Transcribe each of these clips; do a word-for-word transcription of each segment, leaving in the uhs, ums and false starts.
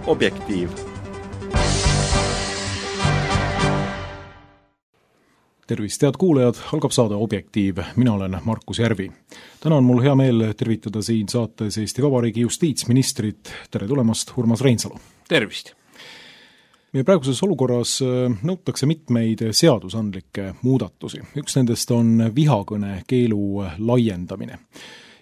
Objektiiv. Tervist, head kuulajad, algab saade Objektiiv. Mina olen Markus Järvi. Täna on mul hea meel tervitada siin saates Eesti Vabariigi justiitsministrit. Tere tulemast, Urmas Reinsalu. Tervist! Meie praeguses olukorras nõutakse mitmeid seadusandlikke muudatusi. Üks nendest on vihakõne keelu laiendamine.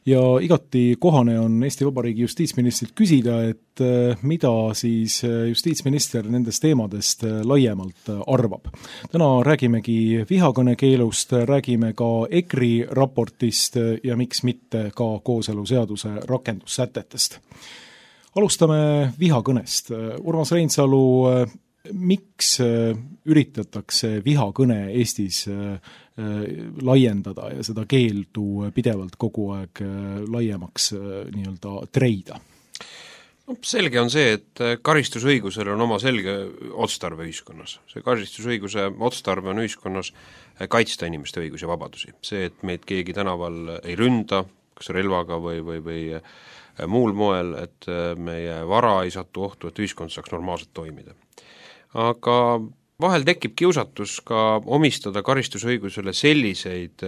Ja igati kohane on Eesti Vabariigi justiitsministrilt küsida, et mida siis justiitsminister nendest teemadest laiemalt arvab. Täna räägimegi vihakõne keelust, räägime ka E K R I raportist ja miks mitte ka kooseluseaduse rakendussätetest. Alustame vihakõnest. Urmas Reinsalu, miks üritatakse vihakõne Eestis laiendada ja seda keeldu pidevalt kogu aeg laiemaks nii-öelda treida? No, selge on see, et karistusõigusel on oma selge otstarve ühiskonnas. See karistusõiguse otstarve on ühiskonnas kaitsta inimeste õigusi ja vabadusi. See, et meid keegi tänaval ei ründa, kas relvaga või, või, või muul moel, et meie vara ei satu ohtu, et ühiskond saaks normaalselt toimida. Aga vahel tekib kiusatus ka omistada karistusõigusele selliseid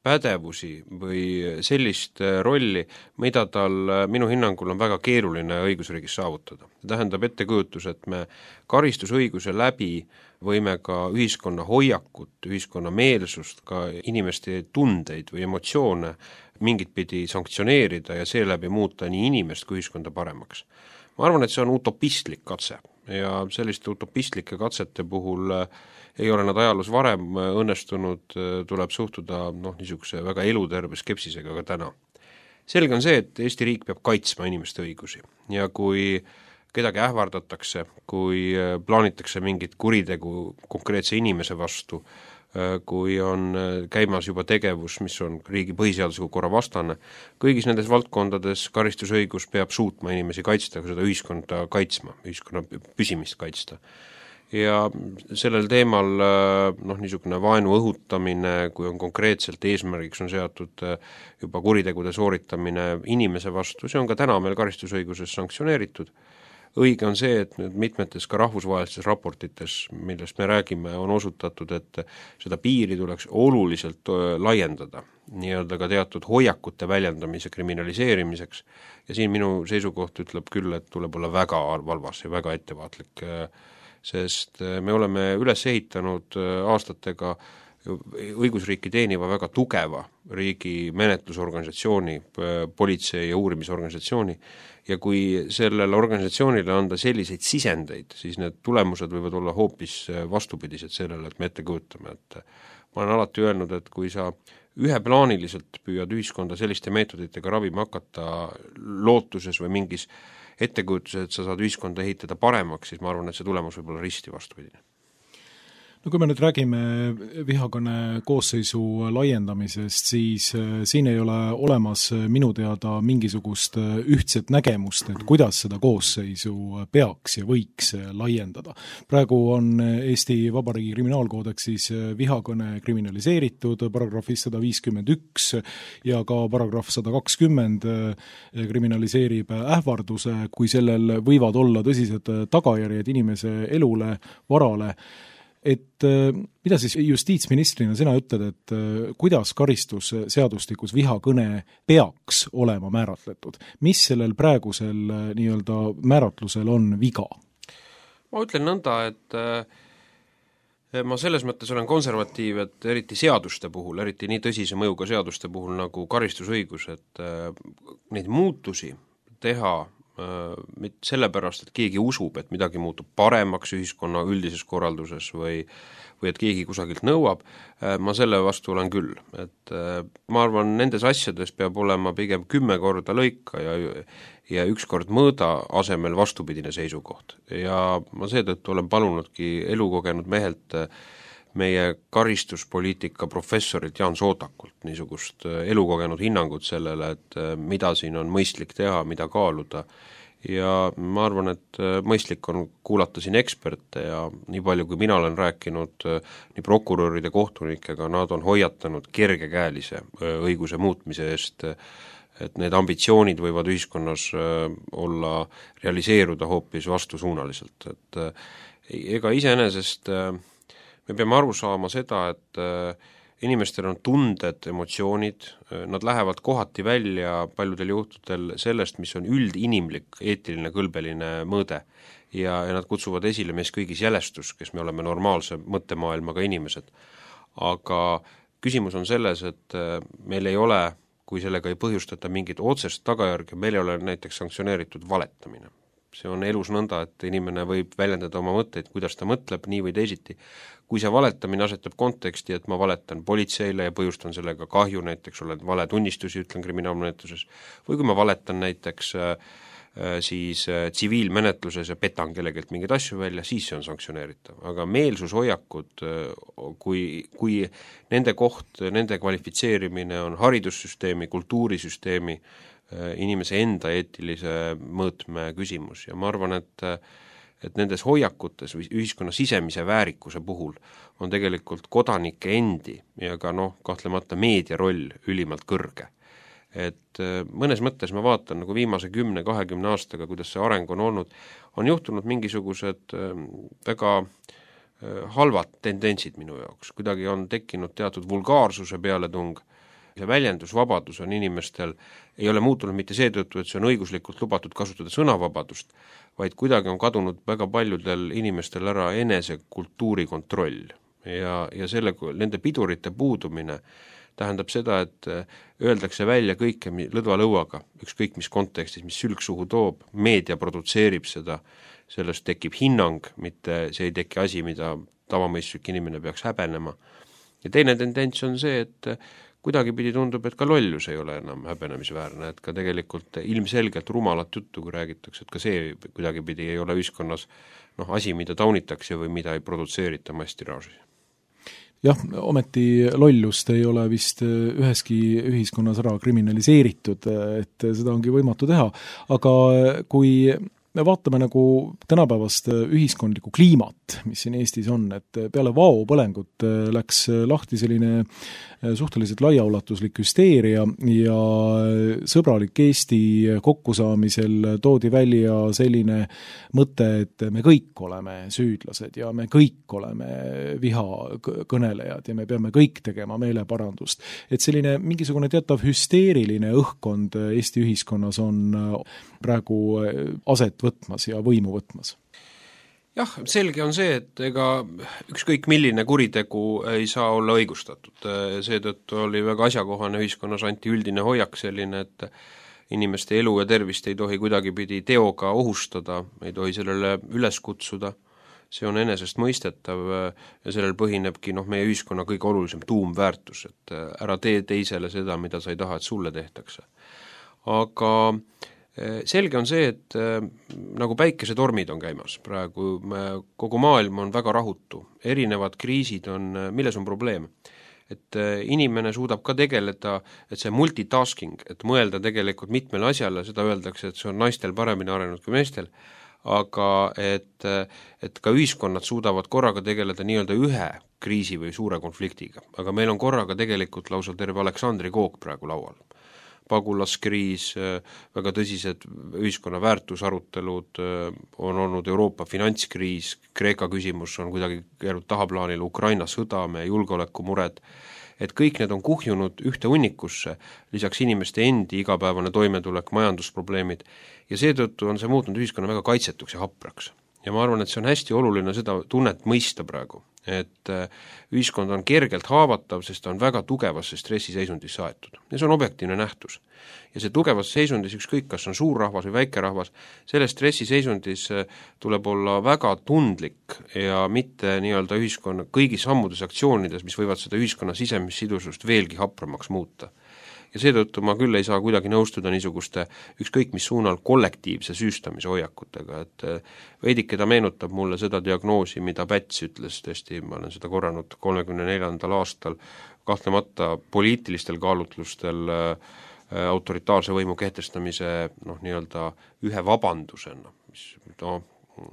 pädevusi või sellist rolli, mida tal minu hinnangul on väga keeruline õigusriigis saavutada. See tähendab ettekujutus, et me karistusõiguse läbi võime ka ühiskonna hoiakut, ühiskonna meelsust, ka inimeste tundeid või emotsioone mingit pidi sanktsioneerida ja seeläbi muuta nii inimest kui ühiskonda paremaks. Ma arvan, et see on utopistlik katse ja selliste utopistlike katsete puhul ei ole nad ajaloos varem õnnestunud, tuleb suhtuda noh, niisuguse väga eluterve skepsisega ka täna. Selge on see, et Eesti riik peab kaitsma inimeste õigusi ja kui kedagi ähvardatakse, kui plaanitakse mingit kuritegu konkreetse inimese vastu, kui on käimas juba tegevus, mis on riigi põhiseadusliku korra vastane, kõigis nendes valdkondades karistusõigus peab suutma inimesi kaitsta, seda ühiskonda kaitsma, ühiskonna püsimist kaitsta. Ja sellel teemal noh, niisugune vaenu õhutamine, kui on konkreetselt eesmärgiks on seatud juba kuritegude sooritamine inimese vastu, see on ka täna meil karistusõiguses sanktsioneeritud. Õige on see, et nüüd mitmetes ka rahvusvahelistes raportites, millest me räägime, on osutatud, et seda piiri tuleks oluliselt laiendada, nii-öelda ka teatud hoiakute väljendamise kriminaliseerimiseks ja siin minu seisukoht ütleb küll, et tuleb olla väga valvas ja väga ettevaatlik, sest me oleme üles ehitanud aastatega õigusriiki teeniva väga tugeva riigi menetlusorganisatsiooni, politsei- ja uurimisorganisatsiooni ja kui sellele organisatsioonile anda selliseid sisendeid, siis need tulemused võivad olla hoopis vastupidised sellele, et me ette kujutame, et ma olen alati öelnud, et kui sa üheplaaniliselt püüad ühiskonda selliste meetoditega ravima hakata lootuses või mingis ettekujutuses, et sa saad ühiskonda ehitada paremaks, siis ma arvan, et see tulemus võib olla risti vastupidine. No kui me nüüd räägime vihakõne koosseisu laiendamisest, siis siin ei ole olemas minu teada mingisugust ühtset nägemust, et kuidas seda koosseisu peaks ja võiks laiendada. Praegu on Eesti Vabariigi kriminaalkoodeksis vihakõne kriminaliseeritud paragrahvis sada viiskümmend üks ja ka paragrahv sada kakskümmend kriminaliseerib ähvarduse, kui sellel võivad olla tõsised tagajärjed inimese elule, varale. Et mida siis justiitsministrina sina ütled, et kuidas karistusseadustikus vihakõne peaks olema määratletud? Mis sellel praegusel nii-öelda määratlusel on viga? Ma ütlen nõnda, et ma selles mõttes olen konservatiiv, et eriti seaduste puhul, eriti nii tõsise mõjuga seaduste puhul nagu karistusõigus, et neid muutusi teha mitte sellepärast, et keegi usub, et midagi muutub paremaks ühiskonna üldises korralduses või, või et keegi kusagilt nõuab, ma selle vastu olen küll. Et ma arvan, nendes asjades peab olema pigem kümme korda lõika ja, ja üks kord mõõda asemel vastupidine seisukoht. Ja ma seetõttu olen palunudki elukogenud mehelt meie karistuspoliitika professorilt Jaan Sootakult niisugust elukogenud hinnangut sellele, et mida siin on mõistlik teha, mida kaaluda ja ma arvan, et mõistlik on kuulata siin eksperte ja nii palju, kui mina olen rääkinud nii prokuröride kohtunikega, nad on hoiatanud kergekäelise õiguse muutmise eest et need ambitsioonid võivad ühiskonnas olla, realiseeruda hoopis vastusuunaliselt, et ega iseenesest me peame aru saama seda, et inimestel on tunded, emotsioonid, nad lähevad kohati välja paljudel juhtudel sellest, mis on üldinimlik, eetiline, kõlbeline mõõde ja, ja nad kutsuvad esile meist kõigis jälestus, kes me oleme normaalse mõttemaailmaga inimesed. Aga küsimus on selles, et meil ei ole, kui sellega ei põhjustata mingit otsest tagajärge, meil ei ole näiteks sanktsioneeritud valetamine. See on elus nõnda, et inimene võib väljendada oma mõtteid, kuidas ta mõtleb, nii või teisiti. Kui see valetamine asetab konteksti, et ma valetan politseile ja põhjustan sellega kahju, näiteks olen valetunnistusi, ütlen kriminaalmenetluses, või kui ma valetan näiteks äh, siis äh, tsiviilmenetluses ja petan kellegelt mingeid asju välja, siis see on sanktsioneeritav. Aga meelsushoiakud, äh, kui, kui nende koht, nende kvalifitseerimine on haridussüsteemi, kultuurisüsteemi, inimese enda eetilise mõõtme küsimus ja ma arvan, et et nendes hoiakutes või ühiskonna sisemise väärikuse puhul on tegelikult kodanike endi ja ka noh, kahtlemata meedia roll ülimalt kõrge. Et mõnes mõttes ma vaatan nagu viimase kümne kahekümne aastaga, kuidas see areng on olnud, on juhtunud mingisugused väga halvad tendentsid minu jaoks, kuidagi on tekkinud teatud vulgaarsuse pealetung, see väljendusvabadus on inimestel, ei ole muutunud mitte seetõttu, et see on õiguslikult lubatud kasutada sõnavabadust, vaid kuidagi on kadunud väga paljudel inimestel ära enese kultuurikontroll ja, ja selle, nende pidurite puudumine tähendab seda, et öeldakse välja kõike lõdva lõuaga, ükskõik mis kontekstis, mis sülg suhu toob, meedia produtseerib seda, sellest tekib hinnang, mitte see ei teki asi, mida tavamõistlik inimene peaks häbenema. Ja teine tendents on see, et kuidagi pidi tundub, et ka lollus ei ole enam häbenemisväärne, et ka tegelikult ilmselgelt rumalat juttu, kui räägitakse, et ka see kuidagi pidi ei ole ühiskonnas noh, asi, mida taunitakse või mida ei produtseerita masstiražis. Jah, ometi lollust ei ole vist üheski ühiskonnas ära kriminaliseeritud, et seda ongi võimatu teha, aga kui me vaatame nagu tänapäevast ühiskondlikku kliimat, mis siin Eestis on, et peale vao põlengut läks lahti selline suhteliselt laiaulatuslik hüsteeria ja sõbralik Eesti kokkusaamisel toodi välja selline mõte, et me kõik oleme süüdlased ja me kõik oleme vihakõnelejad ja me peame kõik tegema meeleparandust. Et selline mingisugune teatav hüsteeriline õhkkond Eesti ühiskonnas on praegu aset võtmas ja võimu võtmas. Jah, selge on see, et ega ükskõik milline kuritegu ei saa olla õigustatud. Seetõttu oli väga asjakohane ühiskonnas anti üldine hoiak selline, et inimeste elu ja tervist ei tohi kuidagipidi teoga ohustada, ei tohi sellele üles kutsuda. See on enesest mõistetav ja sellel põhinebki noh, meie ühiskonna kõige olulisem tuumväärtus, et ära tee teisele seda, mida sa ei taha, et sulle tehtakse. Aga selge on see, et nagu päikesetormid on käimas praegu, kogu maailm on väga rahutu, erinevad kriisid on, milles on probleem? Et inimene suudab ka tegeleda, et see multitasking, et mõelda tegelikult mitmele asjale, seda öeldakse, et see on naistel paremini arenenud kui meestel, aga et, et ka ühiskonnad suudavad korraga tegeleda nii-öelda ühe kriisi või suure konfliktiga, aga meil on korraga tegelikult lausa terve Aleksandri kook praegu laual. Pagulaskriis, väga tõsised ühiskonna väärtusarutelud, on olnud Euroopa finantskriis, Kreeka küsimus on kuidagi käinud tahaplaanil, Ukraina sõda, meie julgeolekumured, et kõik need on kuhjunud ühte unnikusse, lisaks inimeste endi igapäevane toimetulek, majandusprobleemid ja seetõttu on see muutnud ühiskonna väga kaitsetuks ja hapraks. Ja ma arvan, et see on hästi oluline seda tunnet mõista praegu, et ühiskond on kergelt haavatav, sest ta on väga tugevasse stressiseisundisse aetud. Ja see on objektiivne nähtus. Ja see tugevas seisundis, ükskõik kas on suur rahvas või väike rahvas, selles stressiseisundis tuleb olla väga tundlik ja mitte nii-öelda ühiskonna kõigis sammudes aktsioonides, mis võivad seda ühiskonna sisemist sidusust veelgi hapramaks muuta. Ja seetõttu ma küll ei saa kuidagi nõustuda niisuguste ükskõik mis suunal kollektiivse süüstamise hoiakutega, et veidike ta meenutab mulle seda diagnoosi, mida Päts ütles, tõesti, ma olen seda korranud kolmekümne neljandal aastal, kahtlemata poliitilistel kaalutlustel autoritaarse võimu kehtestamise noh, nii-öelda ühe vabandusena, mis no,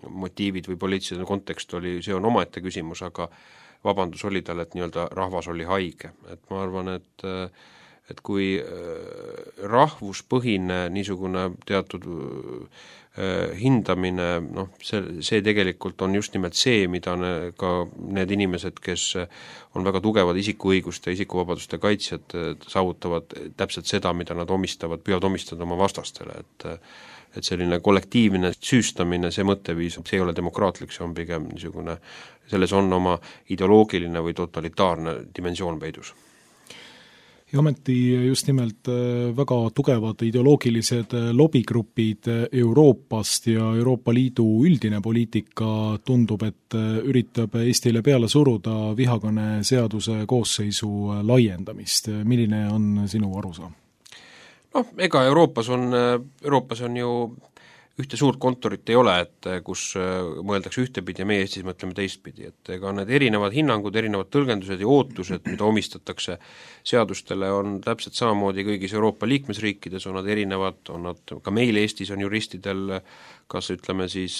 motiivid või poliitiline kontekst oli, see on omaette küsimus, aga vabandus oli tal, et nii-öelda rahvas oli haige, et ma arvan, et et kui rahvuspõhine niisugune teatud hindamine, noh, see, see tegelikult on just nimelt see, mida ne, ka need inimesed, kes on väga tugevad isikuõiguste ja isikuvabaduste kaitsjad, saavutavad täpselt seda, mida nad omistavad, püüavad omistada oma vastastele, et et selline kollektiivne süüstamine, see mõtteviis, see ei ole demokraatlik, see on pigem niisugune, selles on oma ideoloogiline või totalitaarne dimensioon peidus. Ja ometi just nimelt väga tugevad ideoloogilised lobigrupid Euroopast ja Euroopa Liidu üldine poliitika tundub, et üritab Eestile peale suruda vihakõne seaduse koosseisu laiendamist. Milline on sinu arusaam? Noh, ega Euroopas on, Euroopas on ju ühte suurt kontorit ei ole, et kus mõeldakse ühtepidi ja meie Eestis mõtleme teistpidi, et ega need erinevad hinnangud, erinevad tõlgendused ja ootused, mida omistatakse seadustele, on täpselt samamoodi kõigis Euroopa liikmesriikides, on nad erinevad, on nad, ka meil Eestis on juristidel kas ütleme siis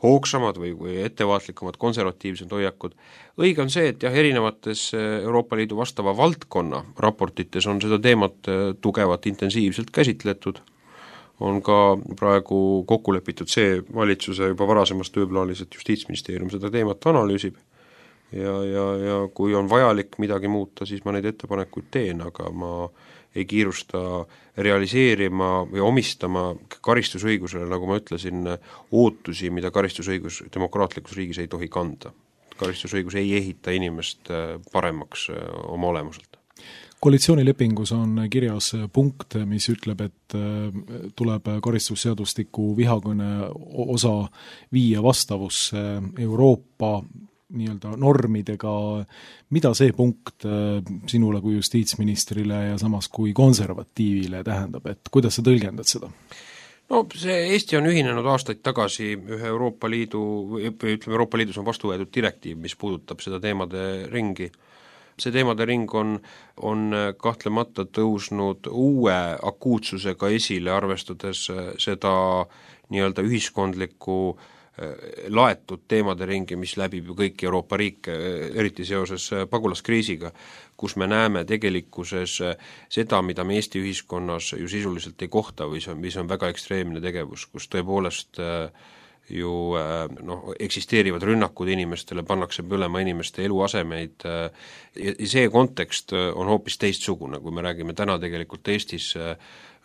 hoogsamad või, või ettevaatlikumad konservatiivsed hoiakud. Õige on see, et jah, erinevates Euroopa Liidu vastava valdkonna raportites on seda teemat tugevat intensiivselt käsitletud, on ka praegu kokku lepitud see valitsuse juba varasemast tööplaanis, et Justiitsministeerium seda teemat analüüsib ja, ja, ja kui on vajalik midagi muuta, siis ma neid ettepanekuid teen, aga ma ei kiirusta realiseerima või omistama karistusõigusele, nagu ma ütlesin, ootusi, mida karistusõigus demokraatlikus riigis ei tohi kanda. Karistusõigus ei ehita inimest paremaks oma olemuselt. Koalitsioonilepingus on kirjas punkt, mis ütleb, et tuleb karistusseadustiku vihakõne osa viia vastavusse Euroopa nii-öelda normidega. Mida see punkt sinule kui justiitsministrile ja samas kui konservatiivile tähendab, et kuidas sa tõlgendad seda? No see Eesti on ühinenud aastaid tagasi ühe Euroopa Liidu, või ütleme Euroopa Liidus on vastu võetud direktiiv, mis puudutab seda teemade ringi. See teemade ring on, on kahtlemata tõusnud uue akuutsusega esile, arvestades seda nii-öelda ühiskondlikku laetud teemade ringi, mis läbib ju kõiki Euroopa riike, eriti seoses pagulaskriisiga, kus me näeme tegelikkuses seda, mida me Eesti ühiskonnas ju sisuliselt ei kohta või see on, mis on väga ekstreemne tegevus, kus tõepoolest ju noh, eksisteerivad rünnakud inimestele, pannakse põlema inimeste eluasemeid ja see kontekst on hoopis teistsugune, kui me räägime täna tegelikult Eestis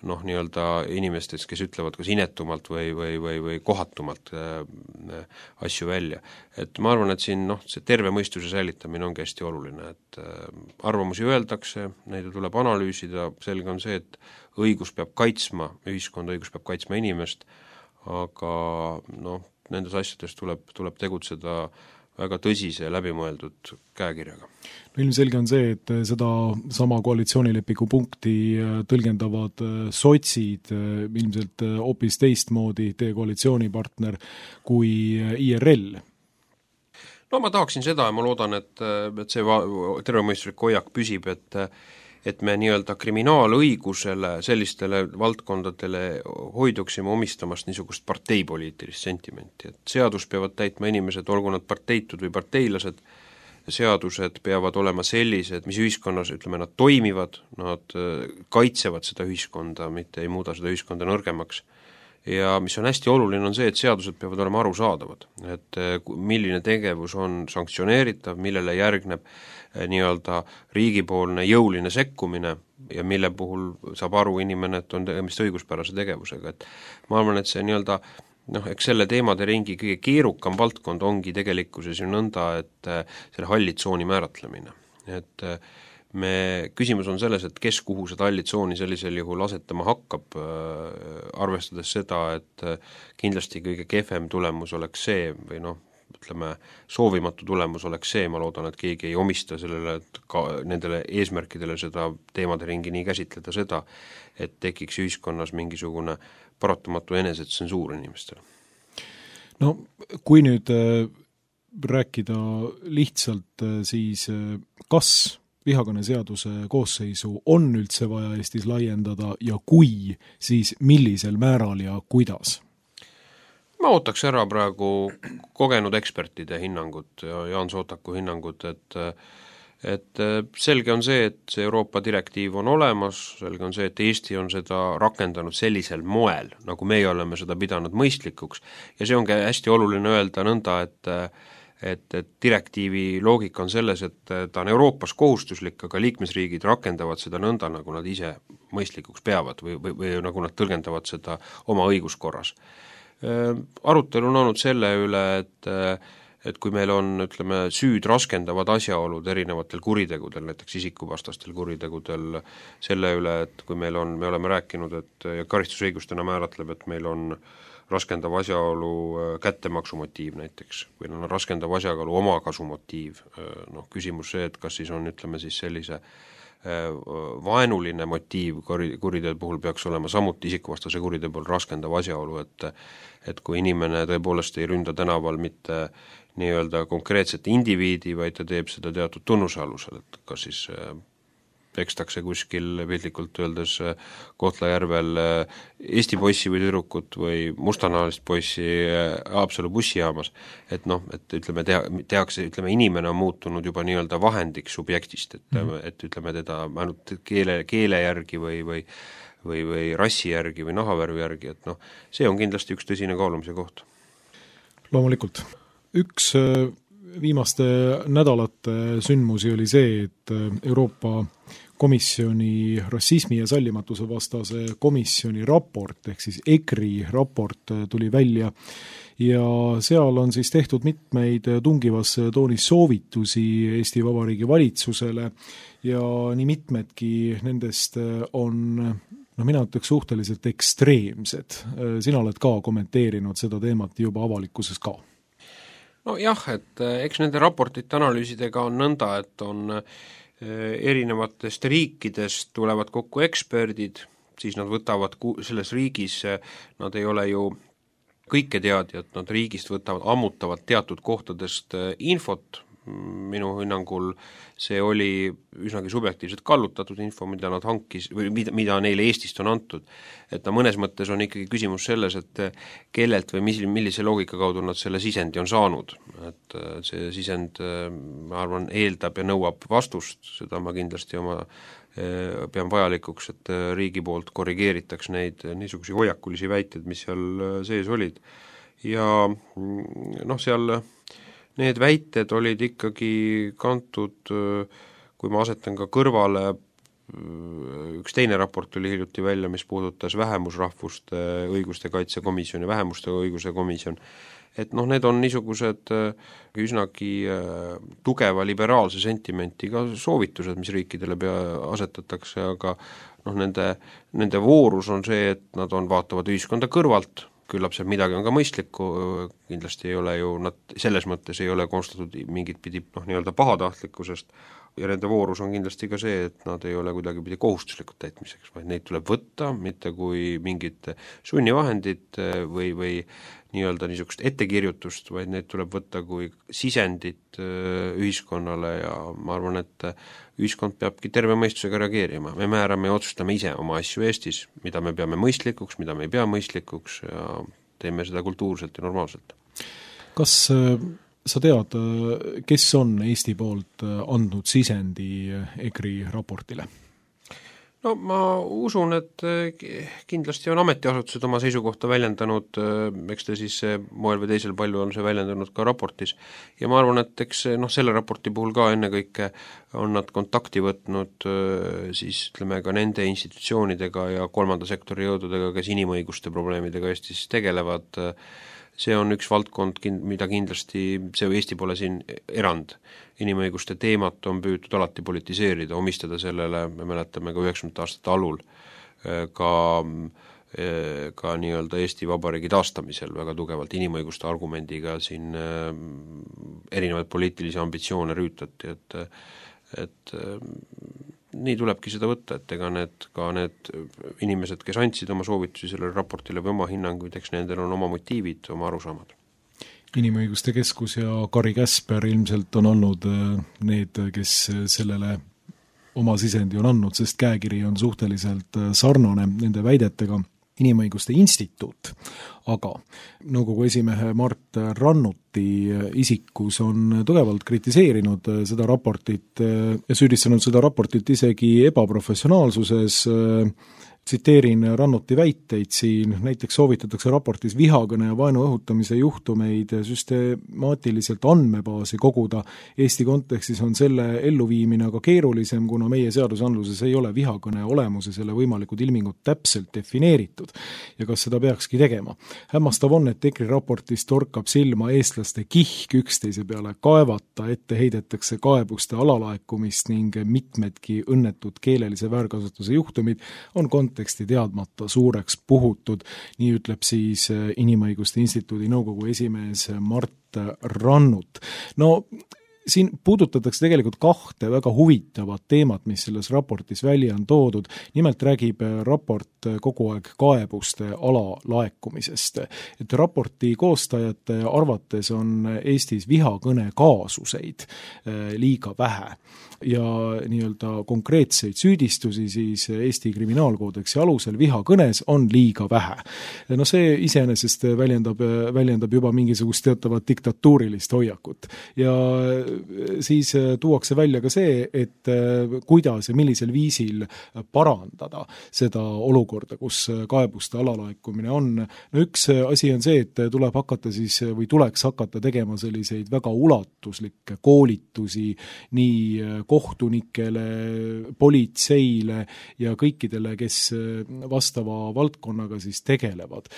noh, nii-öelda inimestest, kes ütlevad kas inetumalt või, või, või, või kohatumalt äh, asju välja. Et ma arvan, et siin noh, see terve mõistuse säilitamine ongi hästi oluline, et äh, arvamusi öeldakse, neid tuleb analüüsida, selge on see, et õigus peab kaitsma, ühiskond õigus peab kaitsma inimest, aga noh, nendes asjades tuleb, tuleb tegutseda väga tõsise läbimõeldud käekirjaga. No ilmselge on see, et seda sama koalitsioonilepiku punkti tõlgendavad sotsid ilmselt hoopis teistmoodi, teie koalitsioonipartner, kui I R L. No ma tahaksin seda ja ma loodan, et, et see tervemõistuslik hoiak püsib, et et me nii-öelda kriminaalõigusele, sellistele valdkondadele hoiduksime omistamast niisugust parteipoliitilist sentimenti, et seadus peavad täitma inimesed, olgu nad parteitud või parteilased, seadused peavad olema sellised, mis ühiskonnas, ütleme, nad toimivad, nad kaitsevad seda ühiskonda, mitte ei muuda seda ühiskonda nõrgemaks. Ja mis on hästi oluline, on see, et seadused peavad olema arusaadavad, et milline tegevus on sanktsioneeritav, millele järgneb nii-öelda riigipoolne jõuline sekkumine ja mille puhul saab aru inimene, et on tegemist õiguspärase tegevusega, et ma arvan, et see nii-öelda noh, eks selle teemade ringi kõige keerukam valdkond ongi tegelikkuses ju nõnda, et selle hallitsooni määratlemine, et me, küsimus on selles, et kes kuhu seda hallitsooni sellisel juhul asetama hakkab, arvestades seda, et kindlasti kõige kehvem tulemus oleks see või noh, ütleme, soovimatu tulemus oleks see, ma loodan, et keegi ei omista sellele, ka nendele eesmärkidele seda teemade ringi nii käsitleda seda, et tekiks ühiskonnas mingisugune paratamatu enesetsensuur inimestele. No kui nüüd rääkida lihtsalt, siis kas vihakõneseaduse koosseisu on üldse vaja Eestis laiendada ja kui, siis millisel määral ja kuidas? Ma ootaks ära praegu kogenud ekspertide hinnangut ja Jaan Sootaku hinnangut, et et selge on see, et see Euroopa direktiiv on olemas, selge on see, et Eesti on seda rakendanud sellisel moel, nagu meie oleme seda pidanud mõistlikuks ja see ongi hästi oluline öelda nõnda, et et, et direktiivi loogika on selles, et ta on Euroopas kohustuslik, aga liikmesriigid rakendavad seda nõnda, nagu nad ise mõistlikuks peavad või, või, või nagu nad tõlgendavad seda oma õiguskorras. Arutelu on olnud selle üle, et et kui meil on, ütleme, süüd raskendavad asjaolud erinevatel kuritegudel, näiteks isikuvastastel kuritegudel, selle üle, et kui meil on, me oleme rääkinud, et karistusõigustena määratleb, et meil on raskendav asjaolu kättemaksumotiiv näiteks, või on raskendav asjaolu omakasumotiiv, noh küsimus see, et kas siis on, ütleme siis sellise vaenuline motiiv kuriteed puhul peaks olema samuti isikuvastase kuriteo puhul raskendav asjaolu, et et kui inimene tõepoolest ei ründa tänaval mitte nii-öelda konkreetset indiviidi, vaid ta teeb seda teatud tunnuse alusel, et kas siis pekstakse kuskil piltlikult öeldes Kohtla-Järvel Eesti poissi või tüdrukut või mustanahalist poissi Haapsalu bussijaamas, et noh, et ütleme, tea, tehakse, ütleme, inimene on muutunud juba nii-öelda vahendiks subjektist, et mm, -hmm. et ütleme teda ainult keele, keele järgi või, või või, või rassi järgi või nahavärvi järgi, et noh, see on kindlasti üks tõsine kaalumise koht. Loomulikult. Üks viimaste nädalate sündmusi oli see, et Euroopa Komisjoni rassismi ja sallimatuse vastase komisjoni raport, ehk siis E K R I raport tuli välja ja seal on siis tehtud mitmeid tungivas toonis soovitusi Eesti Vabariigi valitsusele ja nii mitmedki nendest on, no mina ütleks suhteliselt ekstreemsed. Sina oled ka kommenteerinud seda teemat juba avalikkuses ka. No jah, et eks nende raportite analüüsidega on nõnda, et on erinevatest riikidest tulevad kokku eksperdid, siis nad võtavad selles riigis, nad ei ole ju kõike teadjad, nad riigist võtavad, ammutavad teatud kohtadest infot, minu hinnangul see oli üsnagi subjektiivselt kallutatud info, mida nad hankis, või mida, mida neile Eestist on antud. Et no mõnes mõttes on ikkagi küsimus selles, et kellelt või mis, millise loogika kaudu nad selle sisendi on saanud. Et see sisend, ma arvan, eeldab ja nõuab vastust, seda ma kindlasti oma pean vajalikuks, et riigi poolt korrigeeritaks neid niisugusi hoiakulisi väiteid, mis seal sees olid. Ja noh, seal need väited olid ikkagi kantud, kui ma asetan ka kõrvale, üks teine raport oli hiljuti välja, mis puudutas vähemusrahvuste õiguste kaitse komisjoni, vähemuste õiguse komisjon, et noh, need on niisugused üsnagi tugeva liberaalse sentimentiga soovitused, mis riikidele pea asetatakse, aga noh, nende, nende voorus on see, et nad on, vaatavad ühiskonda kõrvalt, küllap seal midagi on ka mõistlikku, kindlasti ei ole ju, nad selles mõttes ei ole konstatud mingit pidi noh, nii-öelda pahatahtlikkusest ja nende voorus on kindlasti ka see, et nad ei ole kuidagi pidi kohustuslikult täitmiseks, vaid neid tuleb võtta, mitte kui mingit sunnivahendit või, või nii-öelda niisugust ettekirjutust, vaid neid tuleb võtta kui sisendit ühiskonnale ja ma arvan, et ühiskond peabki terve mõistusega reageerima. Me määrame ja otsustame ise oma asju Eestis, mida me peame mõistlikuks, mida me ei pea mõistlikuks ja teeme seda kultuurselt ja normaalselt. Kas sa tead, kes on Eesti poolt andnud sisendi E K R I raportile? No ma usun, et kindlasti on ametiasutused oma seisukohta väljendanud, eks ta siis moel või teisel palju on see väljendanud ka raportis ja ma arvan, et eks noh, selle raporti puhul ka ennekõike on nad kontakti võtnud siis ütleme ka nende institutsioonidega ja kolmanda sektori jõududega, kes inimõiguste probleemidega Eestis tegelevad. See on üks valdkond, mida kindlasti, see Eesti pole siin erand. Inimõiguste teemat on püütud alati politiseerida, omistada sellele, me mäletame ka üheksakümnendate aastate alul, ka, ka nii-öelda Eesti Vabariigi taastamisel väga tugevalt inimõiguste argumendiga siin erinevaid poliitilisi ambitsioone rüütati, et, et nii tulebki seda võtta, et ega need, ka need inimesed, kes andsid oma soovitusi sellele raportile või oma hinnanguid, eks nendel on oma motiivid, oma arusaamad. Inimõiguste Keskus ja Kari Käsper ilmselt on olnud need, kes sellele oma sisendi on andnud, sest käekiri on suhteliselt sarnane nende väidetega. Inimõiguste Instituut, aga nõukogu esimehe Mart Rannuti isikus on tugevalt kritiseerinud seda raportit ja süüdistanud seda raportit isegi ebaprofessionaalsuses. Tsiteerin Rannuti väiteid siin, näiteks soovitatakse raportis vihakõne ja vaenu õhutamise juhtumeid süstemaatiliselt andmebaasi koguda. Eesti kontekstis on selle elluviimine aga keerulisem, kuna meie seadusandluses ei ole vihakõne olemus ja selle võimalikud ilmingud täpselt defineeritud. Ja kas seda peakski tegema? Hämmastav on, et EKRE raportis torkab silma eestlaste kihk üksteise peale kaevata, ette heidetakse kaebuste alalaekumist ning mitmedki õnnetud keelelise väärkasutuse juhtumid on kontekstis teksti teadmata suureks puhutud, nii ütleb siis Inimõiguste Instituudi nõukogu esimees Mart Rannut. No siin puudutatakse tegelikult kahte väga huvitavat teemat, mis selles raportis välja on toodud. Nimelt räägib raport kogu aeg kaebuste alalaekumisest. Et raporti koostajate arvates on Eestis vihakõne kaasuseid liiga vähe ja nii-öelda konkreetseid süüdistusi siis Eesti kriminaalkoodeksi alusel vihakõnes on liiga vähe. No see iseenesest väljendab, väljendab juba mingisugust teatavat diktatuurilist hoiakut ja siis tuuakse välja ka see, et kuidas ja millisel viisil parandada seda olukorda, kus kaebuste alalaekumine on. No üks asi on see, et tuleb hakata siis või tuleks hakata tegema selliseid väga ulatuslikke koolitusi nii kohtunikele, politseile ja kõikidele, kes vastava valdkonnaga siis tegelevad.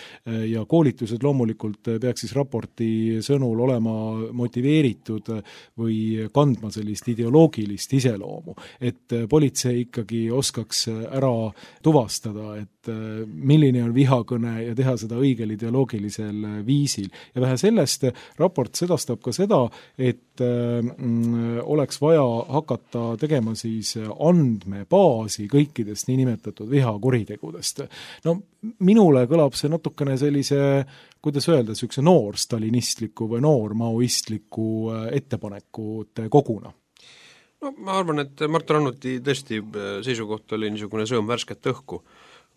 Ja koolitused loomulikult peaks siis raporti sõnul olema motiveeritud või kandma sellist ideoloogilist iseloomu, et politsei ikkagi oskaks ära tuvastada, et milline on vihakõne ja teha seda õigel ideoloogilisel viisil. Ja vähe sellest, raport sedastab ka seda, et mm, oleks vaja hakata tegema siis andmebaasi kõikidest niinimetatud vihakuritegudest. No minule kõlab see natukene sellise, kuidas öelda, sükse noor stalinistliku või noor maoistliku ettepanekute koguna. No ma arvan, et Mart Rannuti tõesti seisukoht oli niisugune sõõm värsket õhku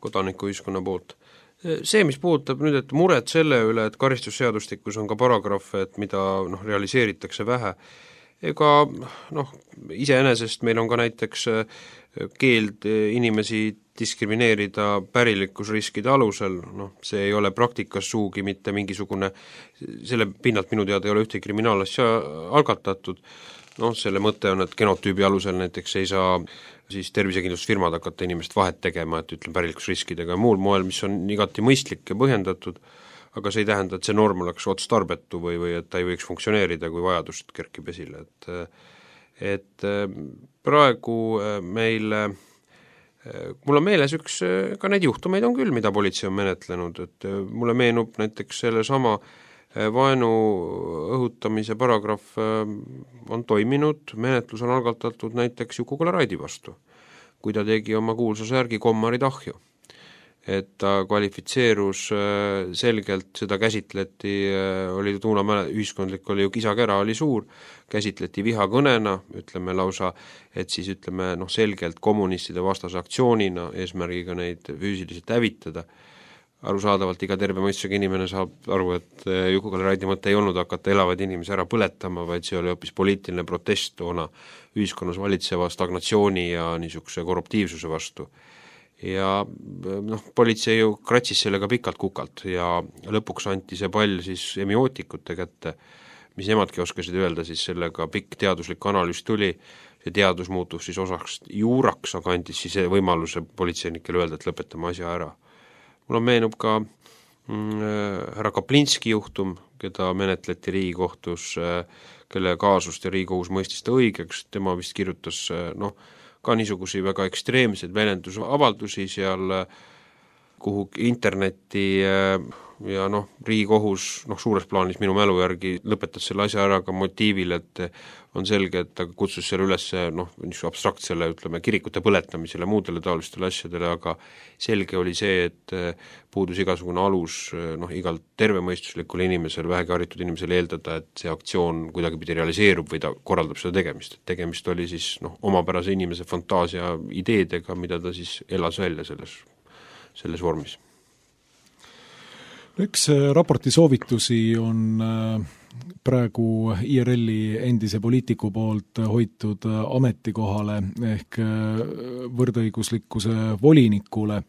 kodanikuühiskonna poolt. See, mis puudutab nüüd, et mured selle üle, et karistusseadustikus on ka paragrahve, et mida noh, realiseeritakse vähe, ega noh, iseenesest meil on ka näiteks keeld inimesi diskrimineerida pärilikkusriskide alusel, noh, see ei ole praktikas suugi mitte mingisugune, selle pinnalt minu teada ei ole ühte kriminaalasja algatatud, noh, selle mõte on, et genotüübi alusel näiteks ei saa siis tervisekindlustusfirmad hakata inimest vahet tegema, et ütleme pärilikkusriskidega ja muul moel, mis on igati mõistlik ja põhjendatud, aga see ei tähenda, et see norm oleks otstarbetu või, või et ta ei võiks funktsioneerida, kui vajadust kerkib esile. Et, et praegu meil, mul on meeles üks, ka neid juhtumeid on küll, mida politsei on menetlenud, et mulle meenub näiteks selle sama vaenu õhutamise paragrahv on toiminud, menetlus on algatatud näiteks Juku-Kalle Raidi vastu, kui ta tegi oma kuulsa särgi Kommarid ahju. Et ta kvalifitseerus selgelt, seda käsitleti, oli tuuna ühiskondlik, oli ju kisakära, oli suur, käsitleti vihakõnena, ütleme lausa, et siis ütleme noh, selgelt kommunistide vastase aktsioonina, eesmärgiga neid füüsiliselt hävitada. Arusaadavalt iga terve mõistusega inimene saab aru, et Juku-Kalle Raidi mõte ei olnud hakata elavaid inimesi ära põletama, vaid see oli hoopis poliitiline protest toona ühiskonnas valitseva stagnatsiooni ja niisuguse korruptiivsuse vastu. Ja noh, politsei ju kratsis sellega pikalt kukalt ja lõpuks anti see pall siis emiootikute kätte, mis nemadki oskasid öelda, siis sellega pikk teaduslik analüüs tuli, see teadus muutus siis osaks juuraks, aga andis siis võimaluse politseinikele öelda, et lõpetame asja ära. Mul on meenub ka mm, härra Kaplinski juhtum, keda menetleti Riigikohtus, kelle kaasust ja Riigikohus mõistis ta õigeks, tema vist kirjutas noh, ka niisugusi väga ekstreemseid väljendusavaldusi seal, kuhu internetti ja noh, Riigikohus noh, suures plaanis minu mälu järgi lõpetas selle asja ära ka motiivil, et on selge, et ta kutsus selle üles noh, abstraktsele, ütleme, kirikute põletamisele, muudele taolistele asjadele, aga selge oli see, et puudus igasugune alus noh, igal tervemõistuslikul inimesel, vähegi haritud inimesel eeldada, et see aktsioon kuidagi pidi realiseerub või ta korraldab seda tegemist. Tegemist oli siis noh, omapärase inimese fantaasia ideedega, mida ta siis elas välja selles, selles vormis. Üks raporti soovitusi on praegu I R L-i endise poliitiku poolt hoitud ametikohale ehk võrdõiguslikkuse volinikule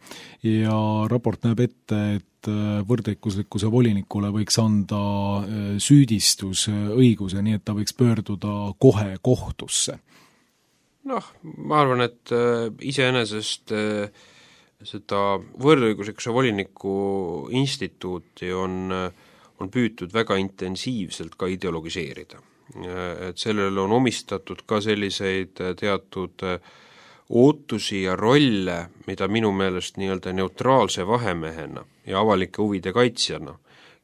ja raport näeb ette, et võrdõiguslikkuse volinikule võiks anda süüdistusõiguse, nii et ta võiks pöörduda kohe kohtusse. Noh, ma arvan, et iseenesest seda võrdõiguslikkuse voliniku instituuti on, on püütud väga intensiivselt ka ideologiseerida. Et sellele on omistatud ka selliseid teatud ootusi ja rolle, mida minu meelest nii-öelda neutraalse vahemehena ja avalike huvide kaitsjana,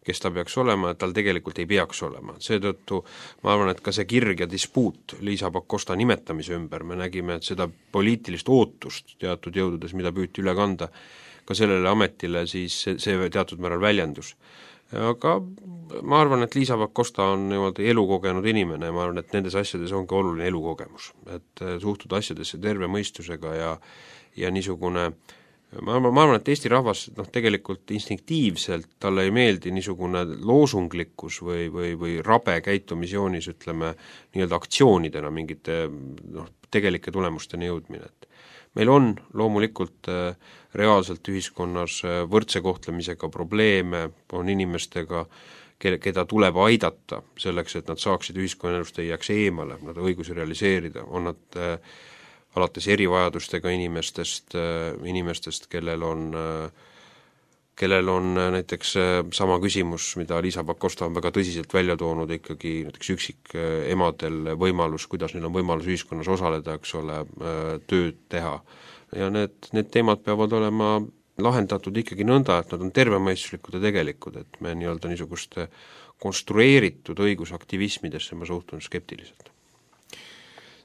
kes ta peaks olema, et tal tegelikult ei peaks olema. Seetõttu ma arvan, et ka see kirg ja dispuut Liisa Pakosta nimetamise ümber, me nägime, et seda poliitilist ootust teatud jõududes, mida püüti üle kanda, ka sellele ametile, siis see, see teatud määral väljendus. Aga ma arvan, et Liisa Pakosta on niimoodi elukogenud inimene ja ma arvan, et nendes asjades ongi oluline elukogemus, et suhtuda asjadesse terve mõistusega ja, ja niisugune Ma arvan, ma arvan, et Eesti rahvas noh, tegelikult instinktiivselt talle ei meeldi niisugune loosunglikkus või, või, või rabe käitumisjoonis, ütleme, nii-öelda aktsioonidena mingite noh, tegelike tulemusteni jõudmine. Et meil on loomulikult äh, reaalselt ühiskonnas äh, võrdse kohtlemisega probleeme, on inimestega, kelle, keda tuleb aidata selleks, et nad saaksid ühiskonnaelust ei jääks eemale, nad õigusi realiseerida, on nad äh, alates erivajadustega inimestest, inimestest, kellel on, kellel on näiteks sama küsimus, mida Liisa Pakosta on väga tõsiselt välja toonud, ikkagi näiteks üksik emadel võimalus, kuidas neil on võimalus ühiskonnas osaleda, eks ole, tööd teha. Ja need, need teemad peavad olema lahendatud ikkagi nõnda, et nad on tervemõistuslikud ja tegelikud, et me nii-öelda niisuguste konstrueeritud õigusaktivismidesse ma suhtun skeptiliselt.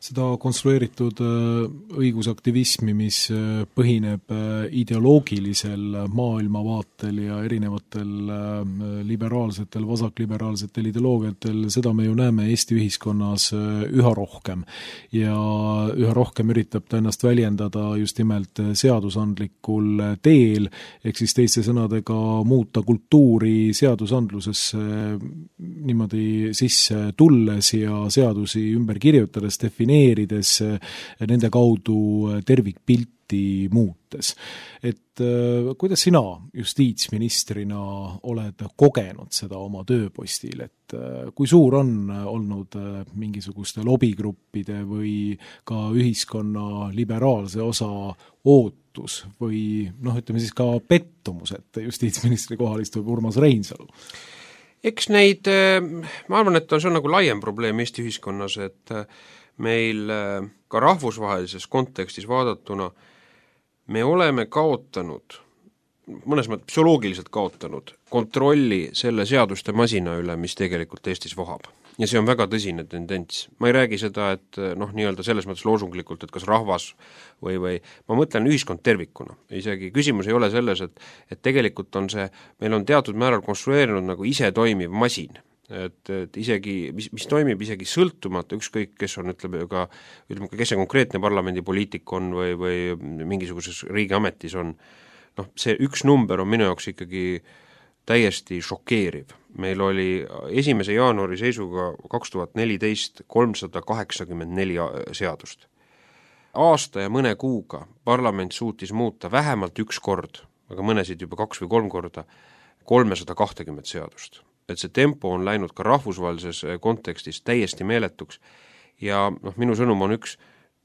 Seda konstrueeritud õigusaktivismi, mis põhineb ideoloogilisel maailmavaatel ja erinevatel liberaalsetel, vasakliberaalsetel ideoloogiatel, seda me ju näeme Eesti ühiskonnas üha rohkem. Ja üha rohkem üritab ta ennast väljendada just nimelt seadusandlikul teel, ehk siis teiste sõnadega muuta kultuuri seadusandlusesse niimoodi sisse tulles ja seadusi ümber kirjutades, defineerides nende kaudu tervikpilti muutes. Et kuidas sina justiitsministrina oled kogenud seda oma tööpostil, et kui suur on olnud mingisuguste lobigruppide või ka ühiskonna liberaalse osa ootus või noh, ütleme siis ka pettumus, et justiitsministri kohal istub Urmas Reinsalu? Eks neid, ma arvan, et on, see on nagu laiem probleem Eesti ühiskonnas, et meil ka rahvusvahelises kontekstis vaadatuna me oleme kaotanud, mõnes mõttes psühholoogiliselt kaotanud kontrolli selle seaduste masina üle, mis tegelikult Eestis vohab. Ja see on väga tõsine tendents. Ma ei räägi seda, et noh, nii-öelda selles mõttes loosunglikult, et kas rahvas või, või ma mõtlen ühiskond tervikuna. Isegi küsimus ei ole selles, et, et tegelikult on see, meil on teatud määral konstrueerinud nagu ise toimiv masin. Et, et isegi, mis, mis toimib isegi sõltumata, ükskõik, kes on, ütleme, ka, ütleme, kes see konkreetne parlamendipoliitik on või, või mingisuguses riigiametis on, noh, see üks number on minu jaoks ikkagi täiesti šokeeriv. Meil oli esimese jaanuari seisuga kaks tuhat neliteist kolmsada kaheksakümmend neli seadust. Aasta ja mõne kuuga parlament suutis muuta vähemalt üks kord, aga mõnesid juba kaks või kolm korda, kolmesada kakskümmend seadust. Et see tempo on läinud ka rahvusvahelises kontekstis täiesti meeletuks ja noh, minu sõnum on üks,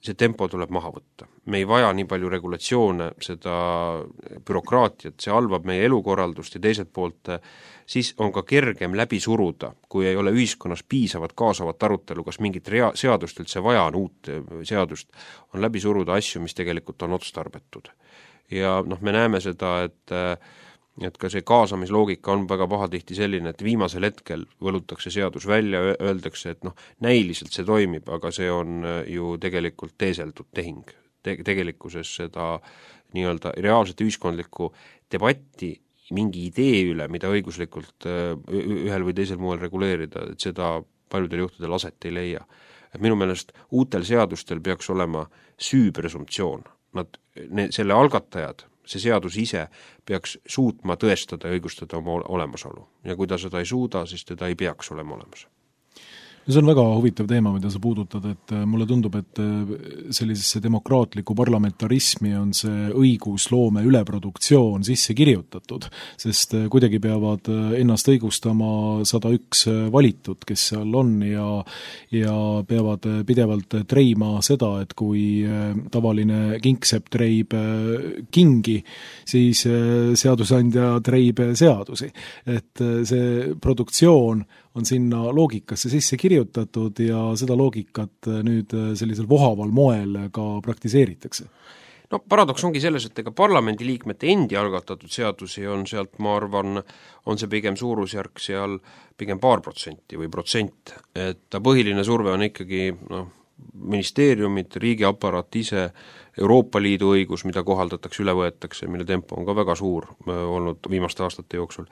see tempo tuleb maha võtta. Me ei vaja nii palju regulatsioone, seda bürokraatiat, see halvab meie elukorraldust ja teiselt poolt siis on ka kergem läbi suruda, kui ei ole ühiskonnas piisavat kaasavat arutelu, kas mingit rea- seadust üldse vaja on, uut seadust, on läbi suruda asju, mis tegelikult on otstarbetud. Ja noh, me näeme seda, et et ka see kaasamisloogika on väga pahatihti selline, et viimasel hetkel võlutakse seadus välja, öeldakse, et noh, näiliselt see toimib, aga see on ju tegelikult teeseldud tehing. Te- tegelikkuses seda nii-öelda reaalset ühiskondlikku debatti mingi idee üle, mida õiguslikult ühel või teisel moel reguleerida, et seda paljudel juhtudel aset ei leia. Et minu meelest uutel seadustel peaks olema süüpresumptsioon. Nad, ne, selle algatajad, see seadus ise peaks suutma tõestada ja õigustada oma olemasolu. Ja kui ta seda ei suuda, siis teda ei peaks olema olemas. See on väga huvitav teema, mida sa puudutad, et mulle tundub, et sellisesse demokraatliku parlamentarismi on see õigusloome üleproduktsioon sisse kirjutatud, sest kuidagi peavad ennast õigustama sada üks valitud, kes seal on ja, ja peavad pidevalt treima seda, et kui tavaline kingsepp treib kingi, siis seadusandja treib seadusi. Et see produktsioon on sinna loogikasse sisse kirjutatud ja seda loogikat nüüd sellisel vohaval moel ka praktiseeritakse. No paradoks ongi selles, et ega parlamendi liikmete endi algatatud seadusi on sealt, ma arvan, on see pigem suurusjärk seal pigem paar protsenti või protsent, et ta põhiline surve on ikkagi noh, ministeeriumid, riigiaparaat ise, Euroopa Liidu õigus, mida kohaldatakse, üle võetakse, mille tempo on ka väga suur olnud viimaste aastate jooksul.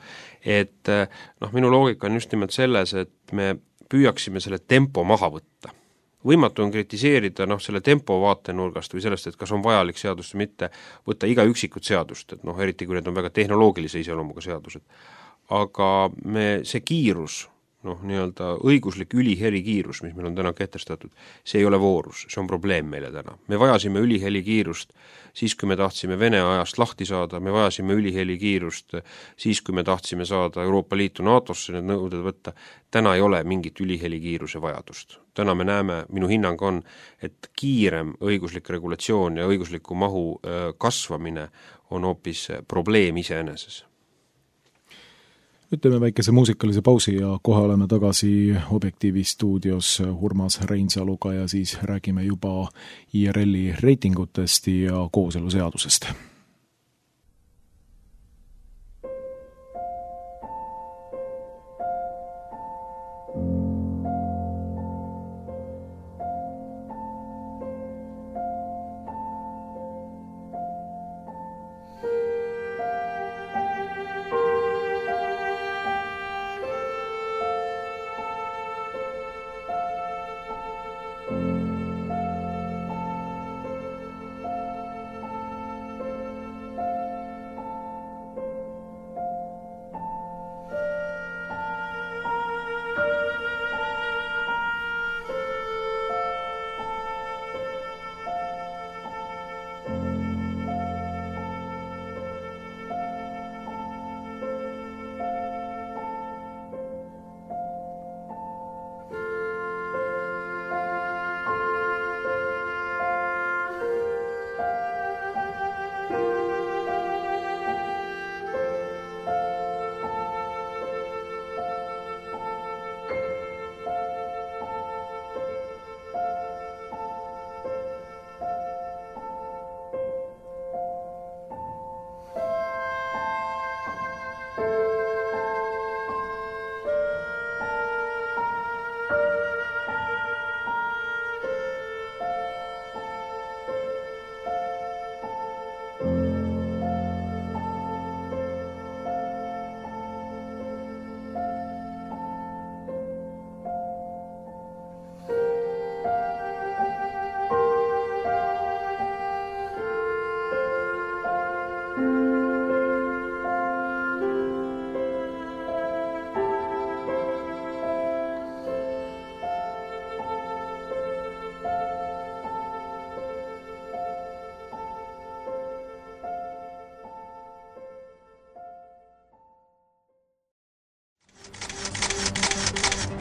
Et noh, minu loogika on just nimelt selles, et me püüaksime selle tempo maha võtta. Võimatu on kritiseerida noh, selle tempo vaatenurgast või sellest, et kas on vajalik seadust või mitte, võtta iga üksikut seadust, et noh, eriti kui need on väga tehnoloogilise iseloomuga seadused. Aga me, see kiirus, noh, nii-öelda õiguslik üliheli kiirus, mis meil on täna kehtestatud, see ei ole voorus, see on probleem meile täna. Me vajasime üliheli kiirust siis, kui me tahtsime Vene ajast lahti saada, me vajasime üliheli kiirust siis, kui me tahtsime saada Euroopa Liitu NATOsse need nõuded võtta. Täna ei ole mingit üliheli kiiruse vajadust. Täna me näeme, minu hinnang on, et kiirem õiguslik regulatsioon ja õigusliku mahu kasvamine on hoopis probleem iseeneses. Nüüd teeme väikese muusikalise pausi ja kohe oleme tagasi Objektiivi stuudios Urmas Reinsaluga ja siis räägime juba I R L-i reitingutest ja kooseluseadusest.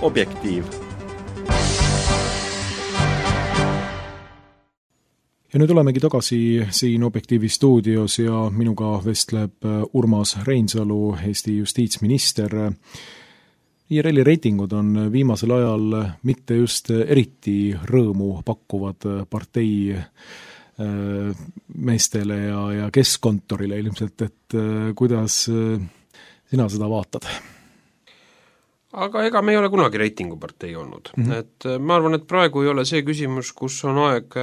Objektiiv. Ja nüüd olemegi tagasi siin Objektiivi stuudios ja minuga vestleb Urmas Reinsalu, Eesti justiitsminister. I R L-i reitingud on viimasel ajal mitte just eriti rõõmu pakkuvad partei meestele ja, ja keskkontorile ilmselt, et kuidas sina seda vaatad? Aga ega me ei ole kunagi reitingupartei olnud. Mm-hmm. Et ma arvan, et praegu ei ole see küsimus, kus on aeg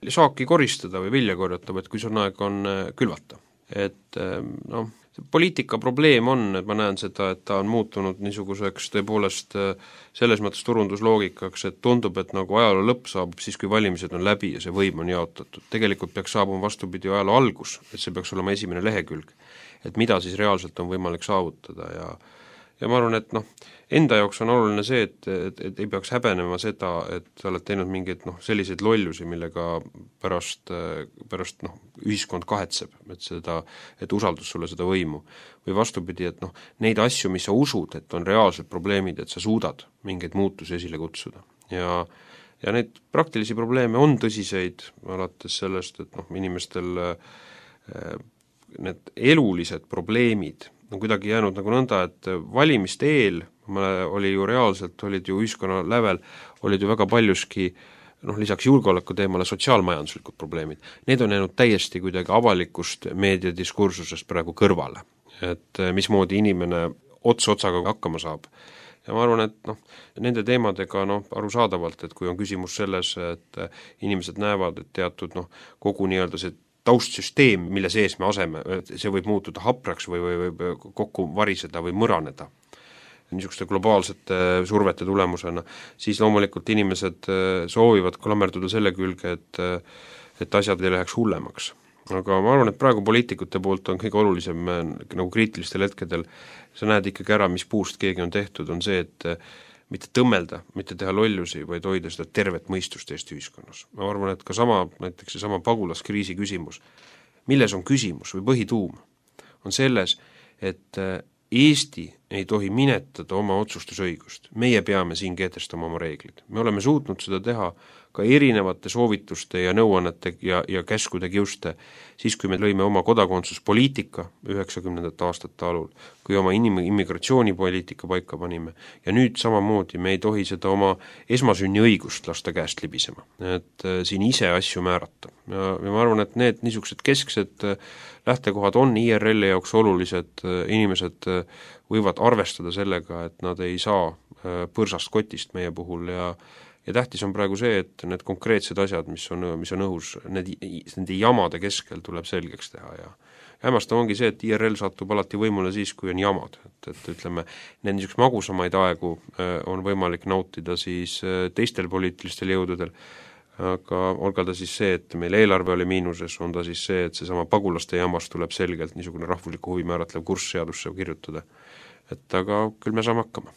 saaki koristada või vilja korjata, et kus on aeg on külvata. Et noh, poliitika probleem on, et ma näen seda, et ta on muutunud niisuguseks tõepoolest selles mõttes turundusloogikaks, et tundub, et nagu ajaloo lõpp saabub siis, kui valimised on läbi ja see võim on jaotatud. tegelikult peaks saabuma vastupidi ajaloo algus, et see peaks olema esimene lehekülg, et mida siis reaalselt on võimalik saavutada ja ja ma arvan, et noh, enda jaoks on oluline see, et, et, et ei peaks häbenema seda, et sa oled teinud mingeid noh, selliseid lollusi, millega pärast, pärast noh, ühiskond kahetseb, et seda, et usaldus sulle seda võimu. Või vastupidi, et noh, neid asju, mis sa usud, et on reaalsed probleemid, et sa suudad mingeid muutusi esile kutsuda. Ja, ja neid praktilisi probleeme on tõsiseid, alates sellest, et noh, inimestel äh, need elulised probleemid on kuidagi jäänud nagu nõnda, et valimiste eel oli ju reaalselt, olid ju ühiskonna lävel, olid ju väga paljuski noh, lisaks julgeoleku teemale sotsiaalmajanduslikud probleemid. Need on jäänud täiesti kuidagi avalikust meediadiskursusest praegu kõrvale. Et mismoodi inimene ots otsaga hakkama saab. Ja ma arvan, et noh, nende teemadega noh, arusaadavalt, et kui on küsimus selles, et inimesed näevad, et teatud noh, kogu nii-öelda see taustsüsteem, mille sees me aseme, see võib muutuda hapraks või, või, või kokku variseda või mõraneda niisuguste globaalsete survete tulemusena, siis loomulikult inimesed soovivad klammerduda selle külge, et, et asjad ei läheks hullemaks. Aga ma arvan, et praegu poliitikute poolt on kõige olulisem nagu kriitilistel hetkedel, sa näed ikkagi ära, mis puust keegi on tehtud, on see, et mitte tõmmelda, mitte teha lollusi, vaid hoida seda tervet mõistust Eesti ühiskonnas. Ma arvan, et ka sama, näiteks see sama pagulaskriisi küsimus, milles on küsimus või põhituum, on selles, et Eesti ei tohi minetada oma otsustusõigust. Meie peame siin kehtestama oma reeglid. Me oleme suutnud seda teha ka erinevate soovituste ja nõuannete ja, ja käskude kiuste, siis kui me lõime oma kodakondsuspoliitika üheksakümnendate aastate alul, kui oma inim- immigratsioonipoliitika paika panime, ja nüüd samamoodi me ei tohi seda oma esmasünni õigust lasta käest libisema, et äh, siin ise asju määrata. Ja, ja ma arvan, et need niisugused kesksed äh, lähtekohad on I R L-i jaoks olulised, äh, inimesed äh, võivad arvestada sellega, et nad ei saa äh, põrsast kotist meie puhul ja ja tähtis on praegu see, et need konkreetsed asjad, mis on, mis on õhus, need, nende jamade keskel tuleb selgeks teha ja hämmastav ongi see, et I R L satub alati võimule siis, kui on jamad, et, et ütleme, need niisugust magusamaid aegu on võimalik nautida siis teistel poliitilistel jõududel, aga olga ta siis see, et meil eelarve oli miinuses, on ta siis see, et seesama pagulaste jamas tuleb selgelt niisugune rahvusliku huvi määratlev kurss seadusse kirjutada. Et aga küll me saame hakkama.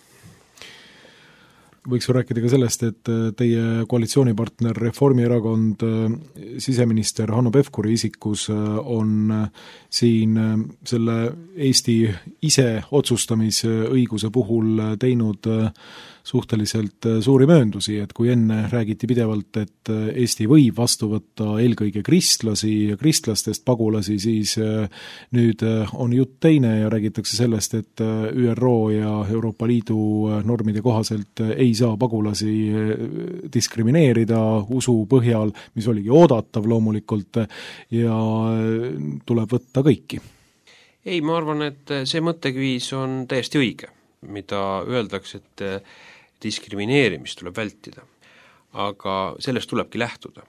Võiks ju rääkida ka sellest, et teie koalitsioonipartner Reformierakond siseminister Hanno Pevkuri isikus on siin selle Eesti ise otsustamisõiguse puhul teinud suhteliselt suuri mööndusi, et kui enne räägiti pidevalt, et Eesti võib vastu võtta eelkõige kristlasi ja kristlastest pagulasi, siis nüüd on jutt teine ja räägitakse sellest, et Ü R O ja Euroopa Liidu normide kohaselt ei saa pagulasi diskrimineerida usu põhjal, mis oligi oodatav loomulikult, ja tuleb võtta kõiki. Ei, ma arvan, et see mõtteviis on täiesti õige, mida öeldakse, et diskrimineerimist tuleb vältida. Aga sellest tulebki lähtuda.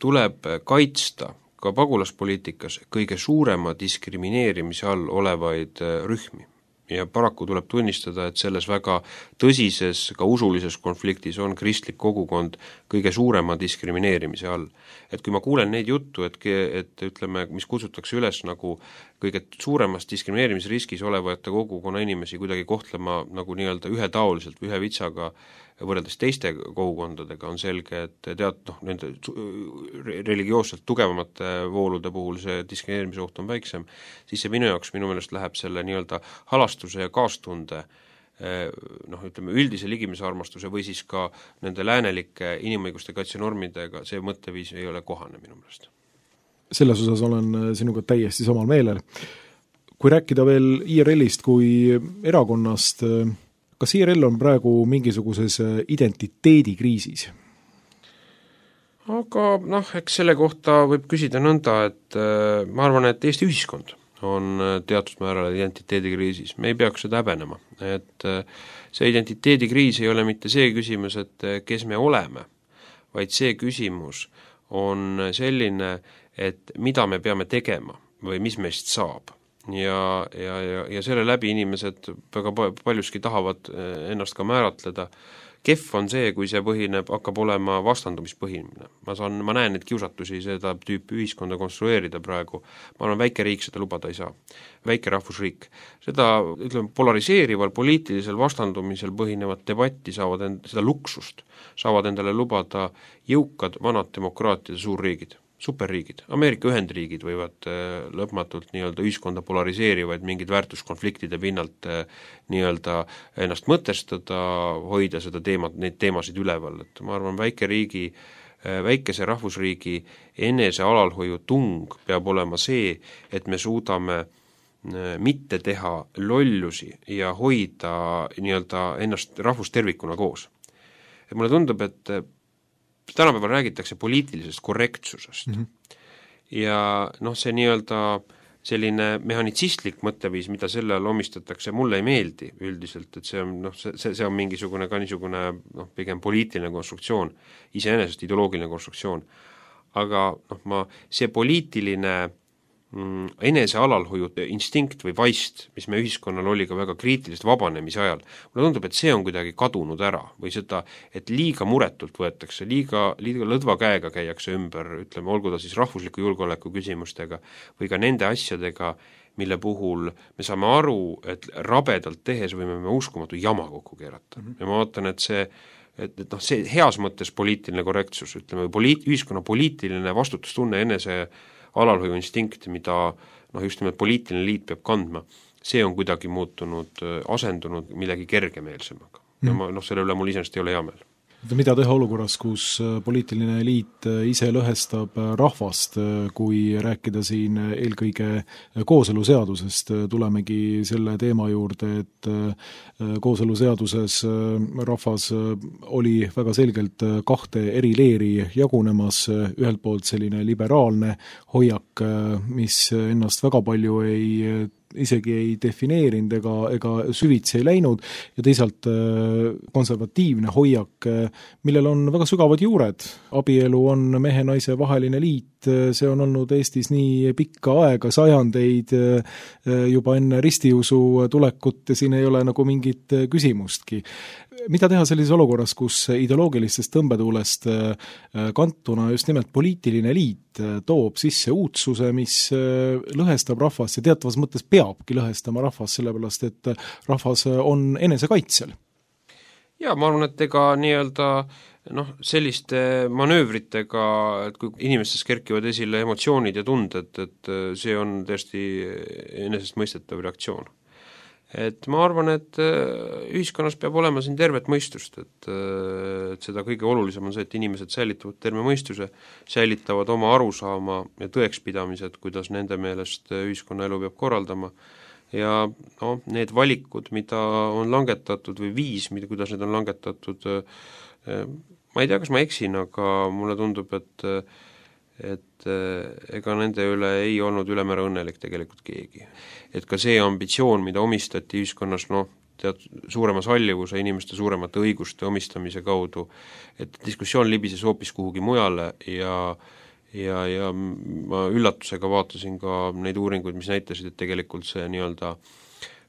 Tuleb kaitsta ka pagulaspoliitikas kõige suurema diskrimineerimise all olevaid rühmi. Ja paraku tuleb tunnistada, et selles väga tõsises, ka usulises konfliktis on kristlik kogukond kõige suurema diskrimineerimise all. Et kui ma kuulen neid juttu, et, et ütleme, mis kutsutakse üles nagu kõige suuremas diskrimineerimisriskis olevate kogukonna inimesi kuidagi kohtlema nagu nii-öelda ühetaoliselt või ühe vitsaga võrreldes teiste kogukondadega, on selge, et tead, noh, nende religioosselt tugevamate voolude puhul see diskrimineerimise oht on väiksem, siis see minu jaoks minu meelest läheb selle nii-öelda halastuse ja kaastunde noh, ütleme üldise ligimise armastuse või siis ka nende läänelike inimõiguste kaitsenormidega, see mõtteviis ei ole kohane minu meelest. Selles osas olen sinuga täiesti samal meelel. Kui rääkida veel I R L-ist kui erakonnast, kas I R L on praegu mingisuguses identiteedikriisis? Aga noh, eks selle kohta võib küsida nõnda, et äh, ma arvan, et Eesti ühiskond on teatud määral identiteedikriisis. Me ei peaks seda häbenema. Et äh, see identiteedikriis ei ole mitte see küsimus, et kes me oleme, vaid see küsimus on selline, et mida me peame tegema või mis meist saab. ja, ja, ja, ja selle läbi inimesed väga paljuski tahavad ennast ka määratleda. Kehv on see, kui see põhineb, hakkab olema vastandumispõhimine. Ma saan, ma näen neid kiusatusi seda tüüpi ühiskonda konstrueerida praegu. Ma arvan, väike riik seda lubada ei saa. Väike rahvusriik. Seda, ütleme, polariseerival poliitilisel vastandumisel põhinevat debatti saavad end, seda luksust saavad endale lubada jõukad vanad demokraatiad ja suurriigid. Superriigid, Ameerika Ühendriigid võivad lõpmatult nii-öelda ühiskonda polariseerivaid mingid väärtuskonfliktide pinnalt nii-öelda ennast mõtestada, hoida seda teemat, neid teemasid üleval, et ma arvan, väike riigi, väikese rahvusriigi enese alalhoiu tung peab olema see, et me suudame mitte teha lollusi ja hoida nii-öelda ennast rahvustervikuna koos. Et mulle tundub, et tänapäeval räägitakse poliitilisest korrektsusest mm -hmm. ja noh, see nii-öelda selline mehhanitsistlik mõtteviis, mida selle all omistatakse, mulle ei meeldi üldiselt, et see on, noh, see, see on mingisugune ka niisugune noh, pigem poliitiline konstruktsioon, iseenesest ideoloogiline konstruktsioon, aga noh, ma, see poliitiline mm, enese alalhoiu instinkt või vaist, mis me ühiskonnal oli ka väga kriitilist vabanemise ajal, mulle tundub, et see on kuidagi kadunud ära või seda, et liiga muretult võetakse, liiga, liiga lõdva käega käiakse ümber, ütleme, olgu ta siis rahvusliku julgeoleku küsimustega või ka nende asjadega, mille puhul me saame aru, et rabedalt tehes võime me uskumatu jama kokku keerata. Mm -hmm. ja ma vaatan, et see et, et noh, see heas mõttes poliitiline korrektsus, ütleme, poliit, ühiskonna poliitiline vastutustunne enese alalhoiu instinkt, mida noh, just nimelt poliitiline liit peab kandma, see on kuidagi muutunud, asendunud millegi kergemeelsemaga. Mm. ja ma, noh, selle üle mul iseenesest ei ole hea meel. Mida teha olukorras, kus poliitiline eliit ise lõhestab rahvast, kui rääkida siin eelkõige kooseluseadusest, tulemegi selle teema juurde, et kooseluseaduses rahvas oli väga selgelt kahte eri leeri jagunemas, ühelt poolt selline liberaalne hoiak, mis ennast väga palju ei isegi ei defineerinud ega, ega süvitsi ei läinud ja teisalt konservatiivne hoiak, millel on väga sügavad juured. Abielu on mehe-naise vaheline liit, see on olnud Eestis nii pikka aega, sajandeid juba enne ristiusu tulekut ja siin ei ole nagu mingit küsimustki. Mida teha sellises olukorras, kus ideoloogilistest tõmbetuulest kantuna just nimelt poliitiline liit toob sisse uudsuse, mis lõhestab rahvast ja teatavas mõttes peabki lõhestama rahvast, sellepärast et rahvas on enesekaitsel? Jaa, ma arvan, et ega nii-öelda noh, selliste manöövritega, et kui inimestes kerkivad esile emotsioonid ja tunded, et see on tõesti enesestmõistetav reaktsioon. Et ma arvan, et ühiskonnas peab olema siin tervet mõistust, et, et seda kõige olulisem on see, et inimesed säilitavad terve mõistuse, säilitavad oma arusaama ja tõekspidamised, kuidas nende meelest ühiskonnaelu peab korraldama ja no, need valikud, mida on langetatud või viis, mida, kuidas need on langetatud, ma ei tea, kas ma eksin, aga mulle tundub, et et ega nende üle ei olnud ülemäära õnnelik tegelikult keegi. Et ka see ambitsioon, mida omistati ühiskonnas, noh, tead, suurema sallivuse, inimeste suuremate õiguste omistamise kaudu, et diskussioon libises hoopis kuhugi mujale ja ja, ja ma üllatusega vaatasin ka neid uuringuid, mis näitasid, et tegelikult see nii-öelda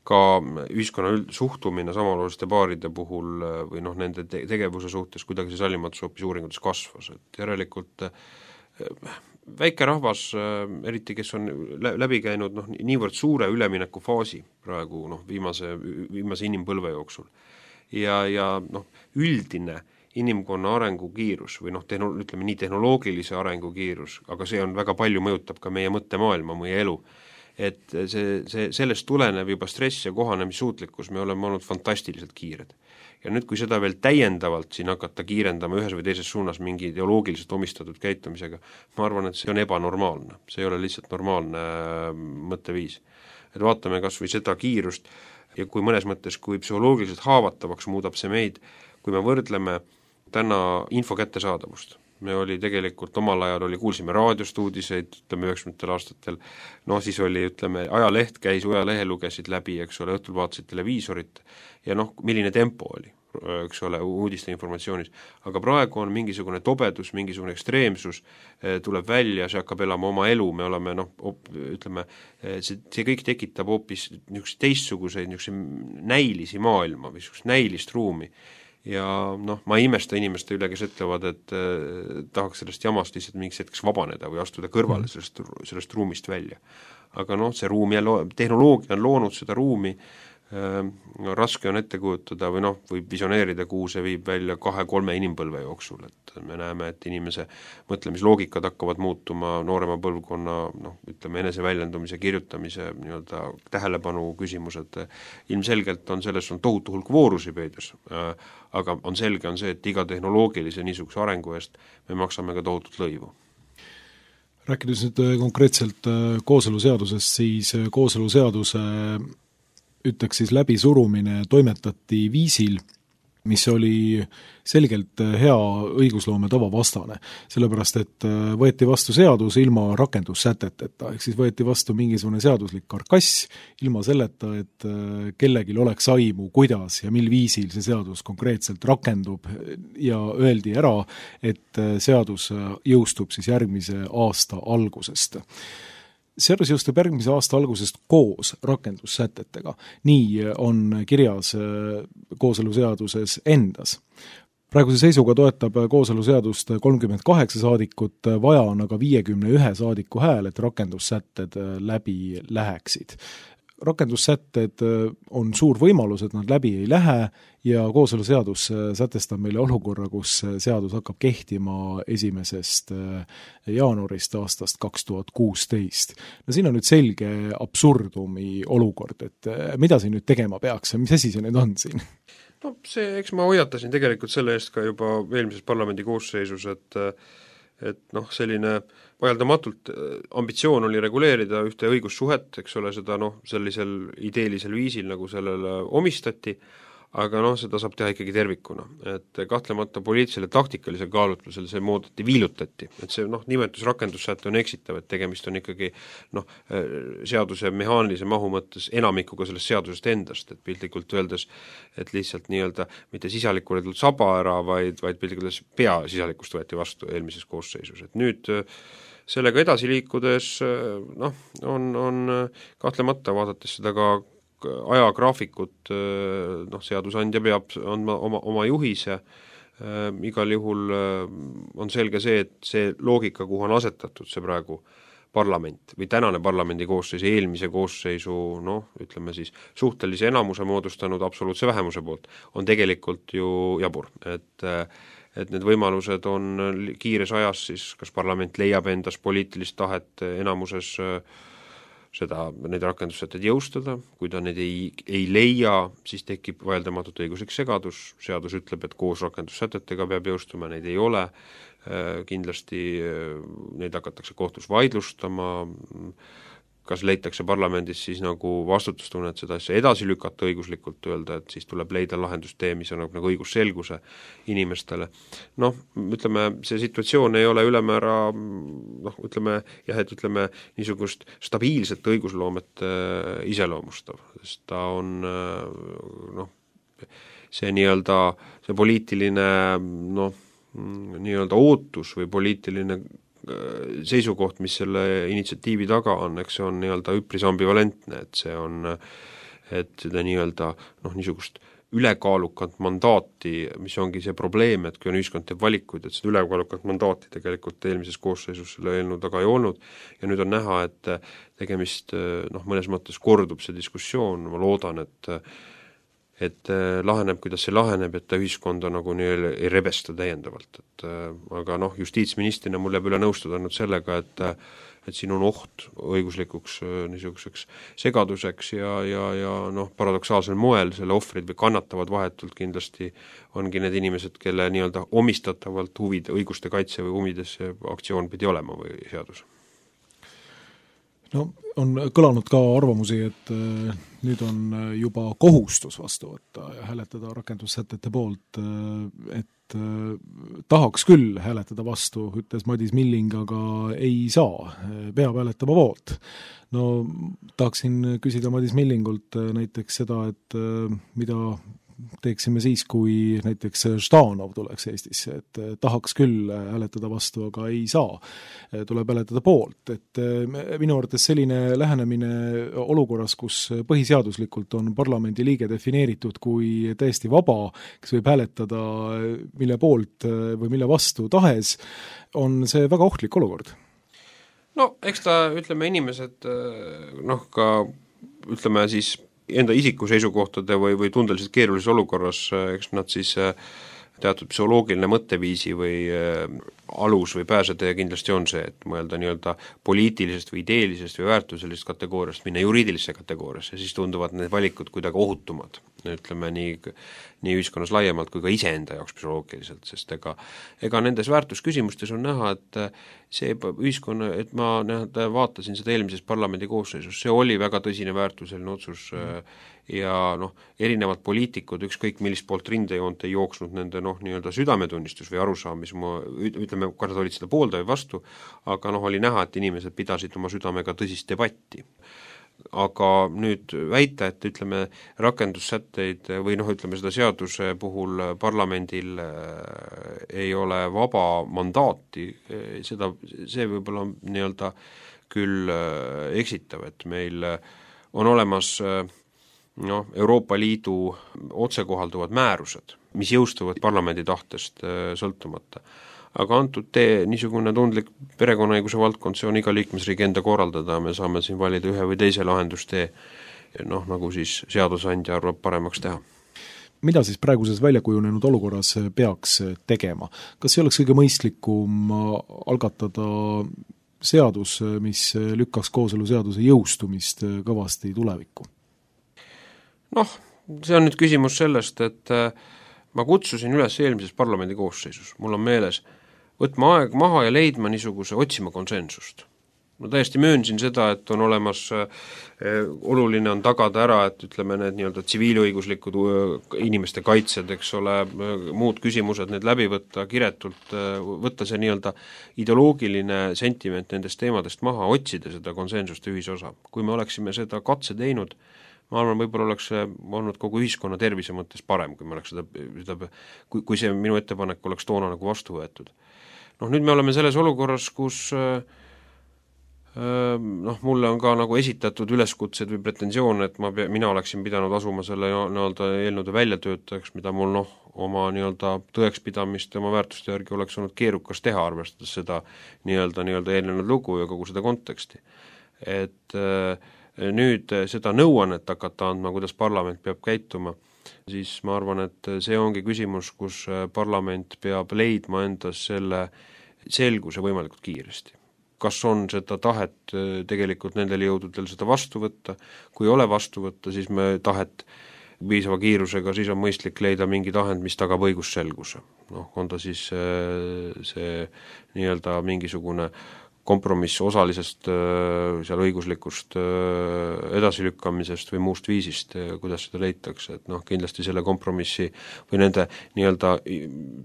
ka ühiskonna üld suhtumine samalooliste paaride puhul või noh, nende te- tegevuse suhtes kuidagi see sallimatus hoopis uuringutes kasvas, et järelikult väike rahvas, eriti kes on läbi käinud noh, niivõrd suure üleminekufaasi praegu noh, viimase, viimase inimpõlve jooksul ja, ja noh, üldine inimkonna arengukiirus või noh, tehno-, ütleme nii tehnoloogilise arengukiirus, aga see on väga palju mõjutab ka meie mõttemaailma, meie elu, et see, see, sellest tulenev juba stress ja kohanemissuutlikkus, me oleme olnud fantastiliselt kiired. Ja nüüd, kui seda veel täiendavalt siin hakata kiirendama ühes või teises suunas mingi ideoloogiliselt omistatud käitumisega, ma arvan, et see on ebanormaalne, see ei ole lihtsalt normaalne mõtteviis. Et vaatame kas või seda kiirust ja kui mõnes mõttes, kui psühholoogiliselt haavatavaks muudab see meid, kui me võrdleme täna info kättesaadavust. Me oli tegelikult omal ajal oli, kuulsime raadiost uudiseid, ütleme üheksakümnendatel aastatel, no siis oli, ütleme, ajaleht käis, ajalehe lugesid läbi, eks ole, õhtul vaatasid televiisorit ja noh, milline tempo oli. eks ole, uudiste informatsioonis, aga praegu on mingisugune tobedus, mingisugune ekstreemsus, tuleb välja, see hakkab elama oma elu, me oleme noh, ütleme, see, see kõik tekitab hoopis niisuguse teistsuguseid niisuguse näilisi maailma või niisugust näilist ruumi. Ja noh, ma ei imesta inimeste üle, kes ütlevad, et eh, tahaks sellest jamast lihtsalt mingiks hetkeks vabaneda või astuda kõrvale sellest, sellest ruumist välja. Aga noh, see ruum ja lo- tehnoloogia on loonud seda ruumi, no, raske on ette kujutada või noh, võib visioneerida, kuhu see viib välja kahe-kolme inimpõlve jooksul, et me näeme, et inimese mõtlemisloogikad hakkavad muutuma, noorema põlvkonna noh, ütleme eneseväljendumise, kirjutamise nii-öelda tähelepanu küsimused, ilmselgelt on selles on tohutu hulk voorusi peidus, aga on selge on see, et iga tehnoloogilise niisuguse arengu eest me maksame ka tohutut lõivu. Rääkides nüüd konkreetselt kooseluseadusest, siis kooseluseaduse ütleks siis läbisurumine toimetati viisil, mis oli selgelt hea õigusloome tava vastane, sellepärast et võeti vastu seadus ilma rakendussäteteta, ehk siis võeti vastu mingisugune seaduslik karkass ilma selleta, et kellelgi oleks aimu, kuidas ja mil viisil see seadus konkreetselt rakendub ja öeldi ära, et seadus jõustub siis järgmise aasta algusest. Seadus jõustub järgmise aasta algusest koos rakendussätetega. Nii on kirjas kooseluseaduses endas. Praeguse seisuga toetab kooseluseadust kolmkümmend kaheksa saadikut, vaja on aga viiekümne ühe saadiku hääl, et rakendussätted läbi läheksid. Rakendussätted on suur võimalus, et nad läbi ei lähe ja kooseluseadus sätestab meile olukorra, kus seadus hakkab kehtima esimesest jaanuarist aastast kaks tuhat kuusteist. No siin on nüüd selge absurdumi olukord, et mida siin nüüd tegema peaks ja mis asi see nüüd on siin? No see, eks ma hoiatasin tegelikult selle eest ka juba eelmises parlamendi koosseisus, et et noh, selline vaieldamatult ambitsioon oli reguleerida ühte õigussuhet, eks ole, seda noh, sellisel ideelisel viisil, nagu sellele omistati, aga noh, seda saab teha ikkagi tervikuna. Et kahtlemata poliitilisele taktikalisele kaalutlusele see moodati, viilutati, et see noh, nimetus rakendussäte on eksitav, et tegemist on ikkagi noh, seaduse mehaanilise mahu mõttes enamikuga sellest seadusest endast, et piltlikult öeldes, et lihtsalt nii-öelda mitte sisalikule tulnud saba ära, vaid, vaid piltlikult öeldes pea sisalikust võeti vastu eelmises koosseisus, et nüüd sellega edasi liikudes noh, on, on kahtlemata vaadates seda ka ajagraafikut, noh, seadusandja peab andma oma, oma juhise, igal juhul on selge see, et see loogika, kuhu on asetatud see praegu parlament või tänane parlamendi koosseis, eelmise koosseisu, noh, ütleme siis suhtelise enamuse moodustanud absoluutse vähemuse poolt, on tegelikult ju jabur, et et need võimalused on kiires ajas siis, kas parlament leiab endas poliitilist tahet enamuses seda, neid rakendussätted jõustada, kui ta neid ei, ei leia, siis tekib vaieldamatult õiguslik segadus, seadus ütleb, et koos rakendussätetega peab jõustuma, neid ei ole, kindlasti neid hakatakse kohtus vaidlustama, kas leitakse parlamendis siis nagu vastutustunnet seda asja edasi lükata õiguslikult, öelda, et siis tuleb leida lahendustee, mis on nagu õigusselguse inimestele. Noh, ütleme, see situatsioon ei ole ülemäära, noh, ütleme, jah, et ütleme, niisugust stabiilset õigusloomet äh, iseloomustav, sest ta on äh, noh, see nii-öelda, see poliitiline noh, nii-öelda ootus või poliitiline seisukoht, mis selle initsiatiivi taga on, eks see on nii-öelda üpris ambivalentne, et see on, et seda nii-öelda noh, niisugust ülekaalukat mandaati, mis ongi see probleem, et kui on ühiskond teeb valikuid, et seda ülekaalukat mandaati tegelikult eelmises koosseisus selle eelnõu taga ei olnud ja nüüd on näha, et tegemist noh, mõnes mõttes kordub see diskussioon, ma loodan, et et laheneb, kuidas see laheneb, et ta ühiskonda nagu nii ei rebesta täiendavalt, et aga noh, justiitsministrina mul jääb üle nõustuda ainult sellega, et et siin on oht õiguslikuks niisuguseks segaduseks ja, ja, ja noh, paradoksaalsel moel selle ohvrid või kannatavad vahetult kindlasti ongi need inimesed, kelle nii-öelda omistatavalt huvid, õiguste kaitse või huvides see aktsioon pidi olema või seadus. No on kõlanud ka arvamusi, et nüüd on juba kohustus vastu võtta ja hääletada rakendussätete poolt, et tahaks küll hääletada vastu, ütles Madis Milling, aga ei saa, peab hääletama poolt. No tahaksin küsida Madis Millingult näiteks seda, et mida teeksime siis, kui näiteks Ždanov tuleks Eestisse, et tahaks küll hääletada vastu, aga ei saa. Tuleb hääletada poolt, et minu arvates selline lähenemine olukorras, kus põhiseaduslikult on parlamendi liige defineeritud kui täiesti vaba, kes võib hääletada mille poolt või mille vastu tahes, on see väga ohtlik olukord. No eks ta, ütleme, inimesed noh, ka ütleme siis enda isiku seisukohtade või, või tundeliselt keerulises olukorras, eks nad siis teatud psühholoogiline mõtteviisi või alus või pääsetee kindlasti on see, et mõelda nii-öelda poliitilisest või ideelisest või väärtuselisest kategooriast minna juriidilisse kategooriasse, siis tunduvad need valikud kuidagi ohutumad, ütleme nii, nii ühiskonnas laiemalt kui ka iseenda jaoks psühholoogiliselt, sest ega, ega nendes väärtusküsimustes on näha, et see ühiskonna, et ma näha, vaatasin seda eelmises parlamendi koosseisus, see oli väga tõsine väärtuseline otsus mm. ja noh, erinevad poliitikud, ükskõik millist poolt rindejoont ei jooksnud nende noh, nii-öelda südametunnistus või arusaam, mis ma ütleme, kas nad olid seda poolda või vastu, aga noh, oli näha, et inimesed pidasid oma südamega tõsist debatti. Aga nüüd väita, et ütleme, rakendussätteid või noh, ütleme seda seaduse puhul parlamendil ei ole vaba mandaati, seda, see võib-olla on nii-öelda küll eksitav, et meil on olemas noh, Euroopa Liidu otsekohalduvad määrused, mis jõustuvad parlamendi tahtest sõltumata. Aga antud tee, niisugune tundlik perekonnaõiguse valdkond, see on iga liikmesriigi enda korraldada, me saame siin valida ühe või teise lahendustee, noh, nagu siis seadusandja arvab paremaks teha. Mida siis praeguses väljakujunenud olukorras peaks tegema? Kas ei oleks kõige mõistlikum algatada seadus, mis lükkaks kooseluseaduse jõustumist kõvasti tulevikku? Noh, see on nüüd küsimus sellest, et ma kutsusin üles eelmises parlamendi koosseisus, mul on meeles, võtma aeg maha ja leidma niisuguse, otsima konsensust. Ma täiesti möönsin seda, et on olemas äh, oluline on tagada ära, et ütleme need nii-öelda tsiviilõiguslikud äh, inimeste kaitsed, eks ole, äh, muud küsimused, need läbi võtta kiretult, äh, võtta see nii-öelda ideoloogiline sentiment nendest teemadest maha, otsida seda konsensust ja ühisosa. Kui me oleksime seda katse teinud, ma arvan, võib-olla oleks olnud kogu ühiskonna tervise mõttes parem, kui me oleks seda, seda kui, kui see minu ettepanek oleks toona nagu vastu võetud. Noh, nüüd me oleme selles olukorras, kus noh, mulle on ka nagu esitatud üleskutsed või pretensioon, et ma, mina oleksin pidanud asuma selle nii-öelda eelnõude väljatöötajaks, mida mul noh, oma nii-öelda tõekspidamist ja oma väärtuste järgi oleks olnud keerukas teha, arvestades seda nii-öelda, nii-öelda eelnenud lugu ja kogu seda konteksti. Et nüüd seda nõuannet hakata andma, kuidas parlament peab käituma, siis ma arvan, et see ongi küsimus, kus parlament peab leidma endas selle selguse võimalikult kiiresti. Kas on seda tahet tegelikult nendel jõududel seda vastu võtta, kui ei ole vastu võtta, siis me tahet piisava kiirusega, siis on mõistlik leida mingi tahend, mis tagab õigusselguse. Noh, on ta siis see nii-öelda mingisugune kompromiss osalisest seal õiguslikust edasilükkamisest või muust viisist, kuidas seda leitakse, et noh, kindlasti selle kompromissi või nende nii-öelda,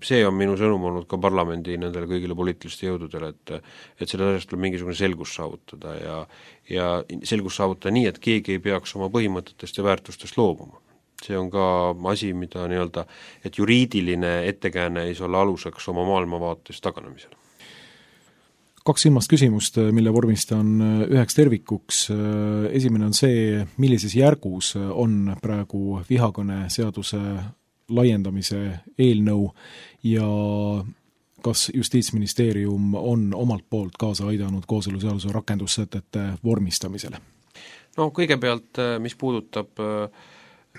see on minu sõnum olnud ka parlamendi nendele kõigile poliitiliste jõududele, et et selle asjast tuleb mingisugune selgus saavutada ja, ja selgus saavutada nii, et keegi ei peaks oma põhimõtetest ja väärtustest loobuma. See on ka asi, mida nii-öelda, et juriidiline ettekääne ei ole aluseks oma maailmavaates taganemisel. Kaks ilmast küsimust, mille vormistan üheks tervikuks. Esimene on see, millises järgus on praegu vihakõne seaduse laiendamise eelnõu ja kas Justiitsministeerium on omalt poolt kaasa aidanud kooseluseaduse rakendussätete vormistamisele? No kõigepealt, mis puudutab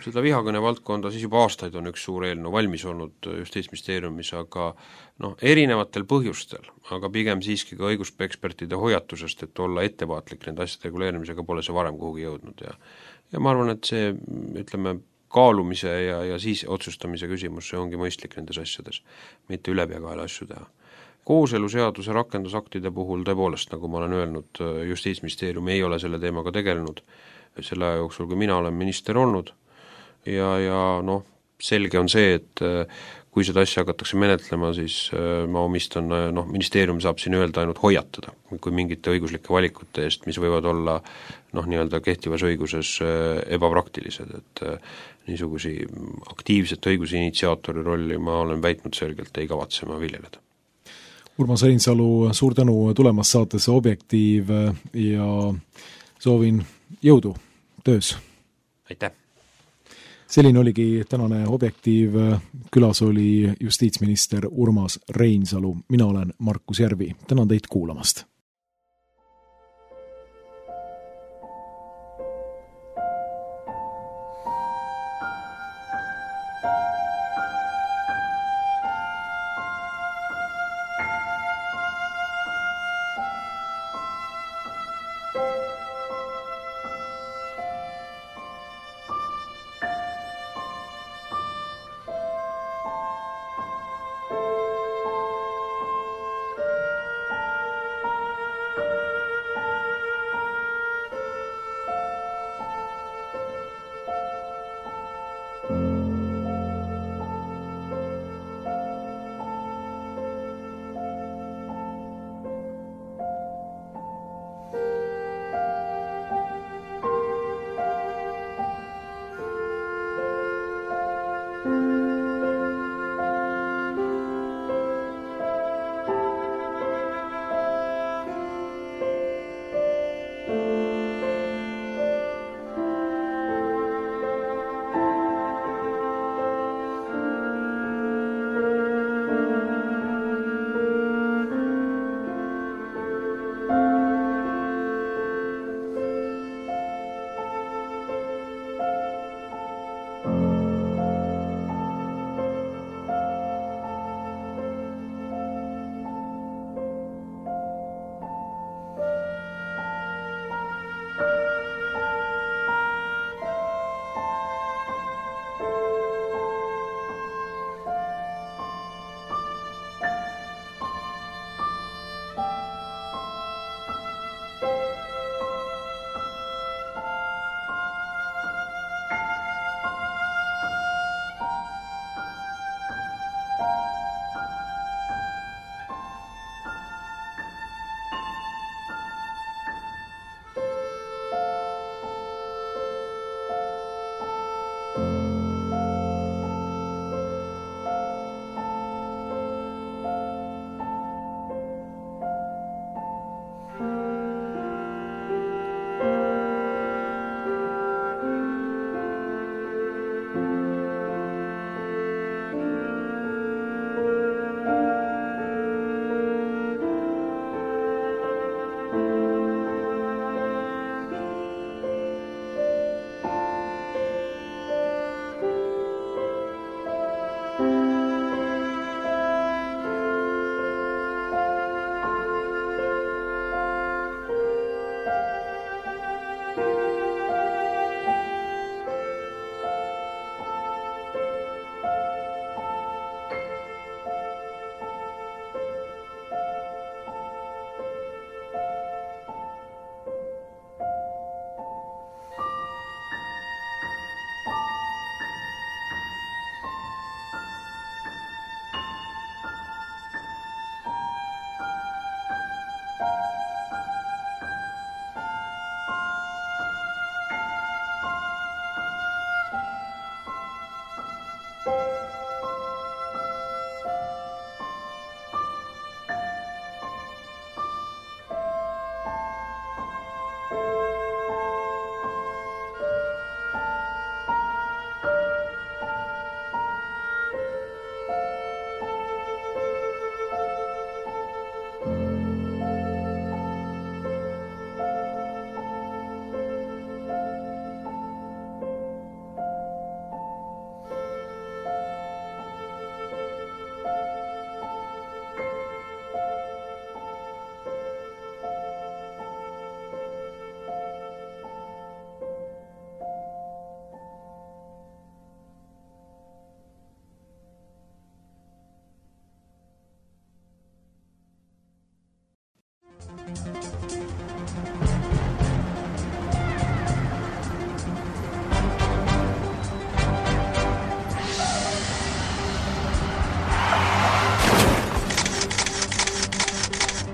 seda vihakõne valdkonda, siis juba aastaid on üks suur eelnõu valmis olnud Justiitsministeeriumis, aga noh, erinevatel põhjustel, aga pigem siiski ka õigusekspertide hoiatusest, et olla ettevaatlik nende asjade reguleerimisega, pole see varem kuhugi jõudnud ja ja ma arvan, et see, ütleme, kaalumise ja, ja siis otsustamise küsimus, see ongi mõistlik nendes asjades, mitte ülepeakaela asju teha. Kooseluseaduse rakendusaktide puhul tõepoolest, nagu ma olen öelnud, Justiitsministeerium ei ole selle teemaga tegelenud selle aja jooksul, kui mina olen minister olnud, ja, ja noh, selge on see, et kui seda asja hakatakse menetlema, siis ma omistan, noh, ministeerium saab siin öelda ainult hoiatada, kui mingite õiguslike valikute eest, mis võivad olla noh, nii-öelda kehtivas õiguses ebapraktilised, et niisugusi aktiivset õiguse initsiaatori rolli ma olen väitnud selgelt, ei kavatse ma viljeleda. Urmas Reinsalu, suur tänu tulemas saatesse Objektiiv ja soovin jõudu töös! Aitäh! Selline oligi tänane Objektiiv, külas oli justiitsminister Urmas Reinsalu, mina olen Markus Järvi, tänan teid kuulamast!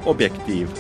Objektiiv